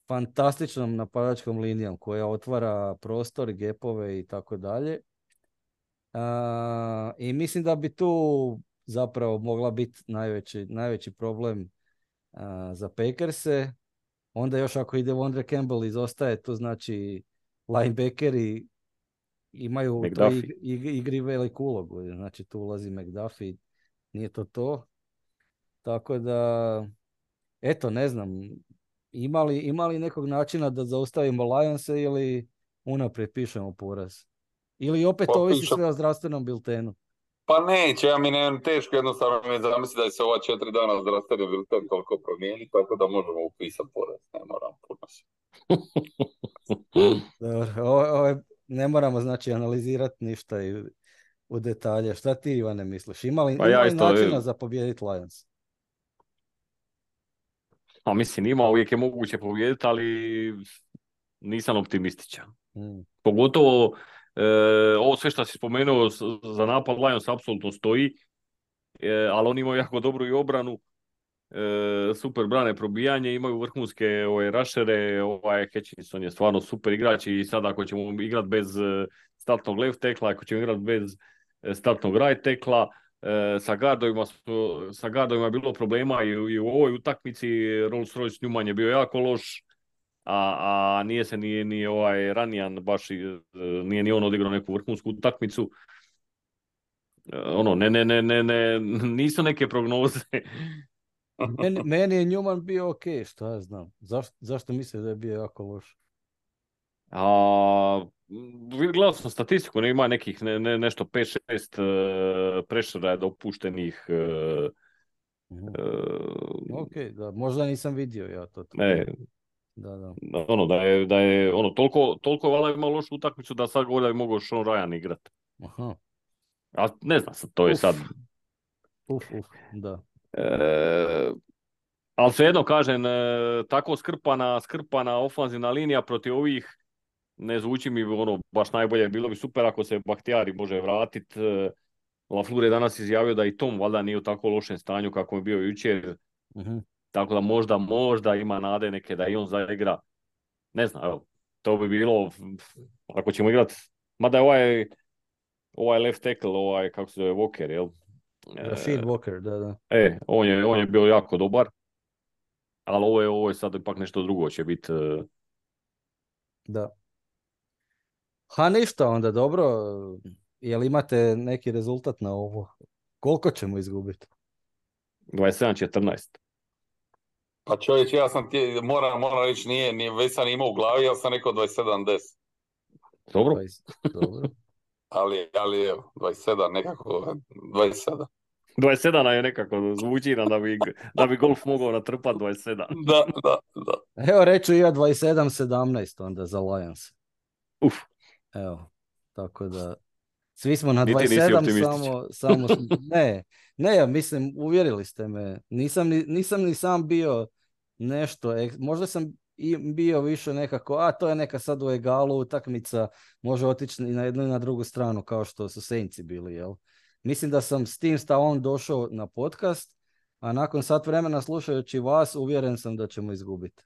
fantastičnom napadačkom linijom koja otvara prostor, gepove i tako dalje. I mislim da bi tu zapravo mogla biti najveći, najveći problem a, za Packerse. Onda još ako ide Vondre Campbell izostaje, to znači linebackeri imaju u toj igri, igri veliku ulogu. Znači tu ulazi McDuffie, nije to to. Tako da, eto, ne znam, Ima li, ima li nekog načina da zaustavimo Lionse ili unaprijed pišemo poraz? Ili opet pa, ovisi pišem. Sve o zdravstvenom biltenu? Pa neće, ja mi ne teško jednostavno mi zamisliti da se ova četiri dana zdravstveni bilten toliko promijeni, tako da možemo upisati poraz, ne moram puno se. Dobro, ovo, ovo je ne moramo znači analizirati ništa i, u detalje. Šta ti, Ivane, misliš? Ima li, Pa ima ja li isto, načina za pobijediti Lions? a mislim ima, uvijek je moguće pobijediti, ali nisam optimističan. Mm. Pogotovo e, ovo sve što si spomenuo s- za napad Lions apsolutno stoji, e, ali oni imaju jako dobru i obranu, e, super brane probijanje, imaju vrhunske ovaj, rushere, ovaj Hutchinson je stvarno super igrač i sad ako ćemo igrati bez e, startnog left tekla, ako ćemo igrati bez e, startnog right tekla, e, sa gardovima, su- sa gardovima je bilo problema i, u- i u ovoj utakmici. Rolls Royce Newman je bio jako loš, a, a nije se ni, ni ovaj Ranijan baš, i, e, nije ni on odigrao neku vrhunsku utakmicu. E, ono, ne, ne, ne, ne, ne, nisu neke prognoze. Meni, meni je Newman bio ok, šta ja znam. Zaš, zašto misliš da je bio jako loš? A, m, gledao sam statistiku, ne ima nekih ne, ne, nešto pet šest uh, pressura je dopuštenih. Uh, Mhm. uh, Ok, da, možda nisam vidio ja to. ne, Da, da. ono da je, da je ono toliko, toliko valjda ima lošu utakmicu da sad govori da bi mogao Sean Ryan igrat. Aha. A ne znam, sad, to je Uf. sad. Uf, uf, da. E, ali svejedno kažem, e, tako skrpana, skrpana ofanzivna linija protiv ovih ne zvuči mi ono baš najbolje. Bilo bi super ako se Bahtijari može vratiti. LaFleur je danas izjavio da i Tom valjda nije u tako lošem stanju kako je bio jučer. Mhm. Tako da možda, možda ima nade neke da i on zaigra. Ne znam, evo, to bi bilo, ako ćemo igrati, mada je ovaj, ovaj left tackle, ovaj, kako se zove, Walker, jel? Rashid Walker, da, da. E, on je, on je bio jako dobar, ali ovo je, ovo je sad ipak nešto drugo će biti. Da. Ha, ništa onda, dobro. Jel imate neki rezultat na ovo? Koliko ćemo izgubiti? dvadeset sedam četrnaest. Pa čovječ, ja sam ti, moram, moram reći, nije, nije, već sam imao u glavi, ja sam rekao dvadeset sedam deset. Dobro? dvadeset, dobro. Ali, ali evo, dvadeset sedam nekako, dvadeset sedam. dvadeset sedam je nekako zvuči nam da bi, da bi golf mogao natrpati dvadeset sedam. Da, da, da. Evo reću i ja dvadeset sedam sedamnaest onda za Lions. Uf, Evo, tako da svi smo na Niti dvadeset nisi sedam, optimističan. samo, samo smo- ne, ne, ja mislim, uvjerili ste me. Nisam ni, nisam ni sam bio nešto, ek- možda sam i bio više nekako, a to je neka sad u egalu utakmica, može otići i na jednu i na drugu stranu kao što su Saintsi bili, jel? Mislim da sam s tim stavom došao na podcast, a nakon sat vremena slušajući vas, uvjeren sam da ćemo izgubiti.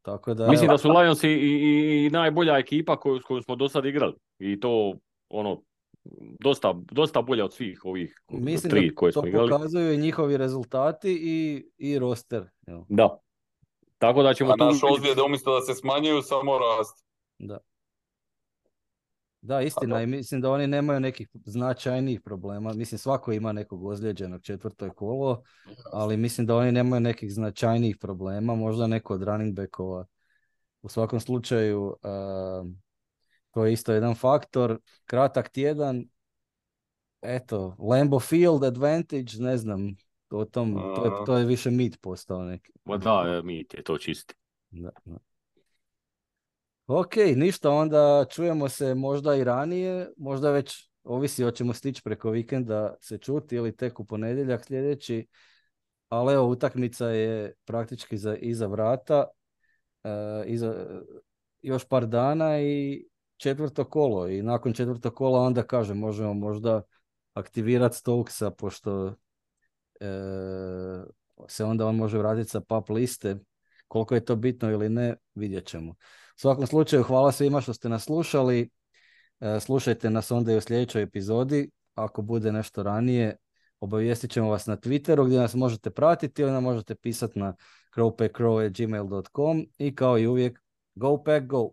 Tako da, Mislim evo, da su Lions i, i, i najbolja ekipa koju, s kojom smo do sad igrali. I to, ono, dosta, dosta bolja od svih ovih mislim tri da koje to smo igrali. pokazuju i njihovi rezultati i, i roster. Jel? Da. Tako da ćemo A tu naš vidjeti. ozljede umjesto da se smanjuju, samo rastu. Da. Da, istina, i mislim da oni nemaju nekih značajnijih problema. Mislim, svako ima nekog ozlijeđenog četvrto je kolo, ali mislim da oni nemaju nekih značajnijih problema. Možda neko od running backova. U svakom slučaju, uh, to je isto jedan faktor. Kratak tjedan, eto, Lambeau Field advantage, ne znam, o tom, to, je, to je više mit postao neki. Ma da, mi je to čisti. Da, da. Ok, ništa, onda čujemo se možda i ranije, možda već ovisi hoćemo stići preko vikenda se čuti ili tek u ponedjeljak sljedeći, ali evo utakmica je praktički za, iza vrata, uh, iza, još par dana i četvrto kolo i nakon četvrtog kola onda kažem možemo možda aktivirati Stokesa pošto uh, se onda on može vratiti sa pap liste. Koliko je to bitno ili ne, vidjet ćemo. U svakom slučaju, hvala svima što ste nas slušali. E, slušajte nas onda i u sljedećoj epizodi. Ako bude nešto ranije, obavijestit ćemo vas na Twitteru gdje nas možete pratiti ili nam možete pisati na crow pack crow at gmail dot com i kao i uvijek, go pack go!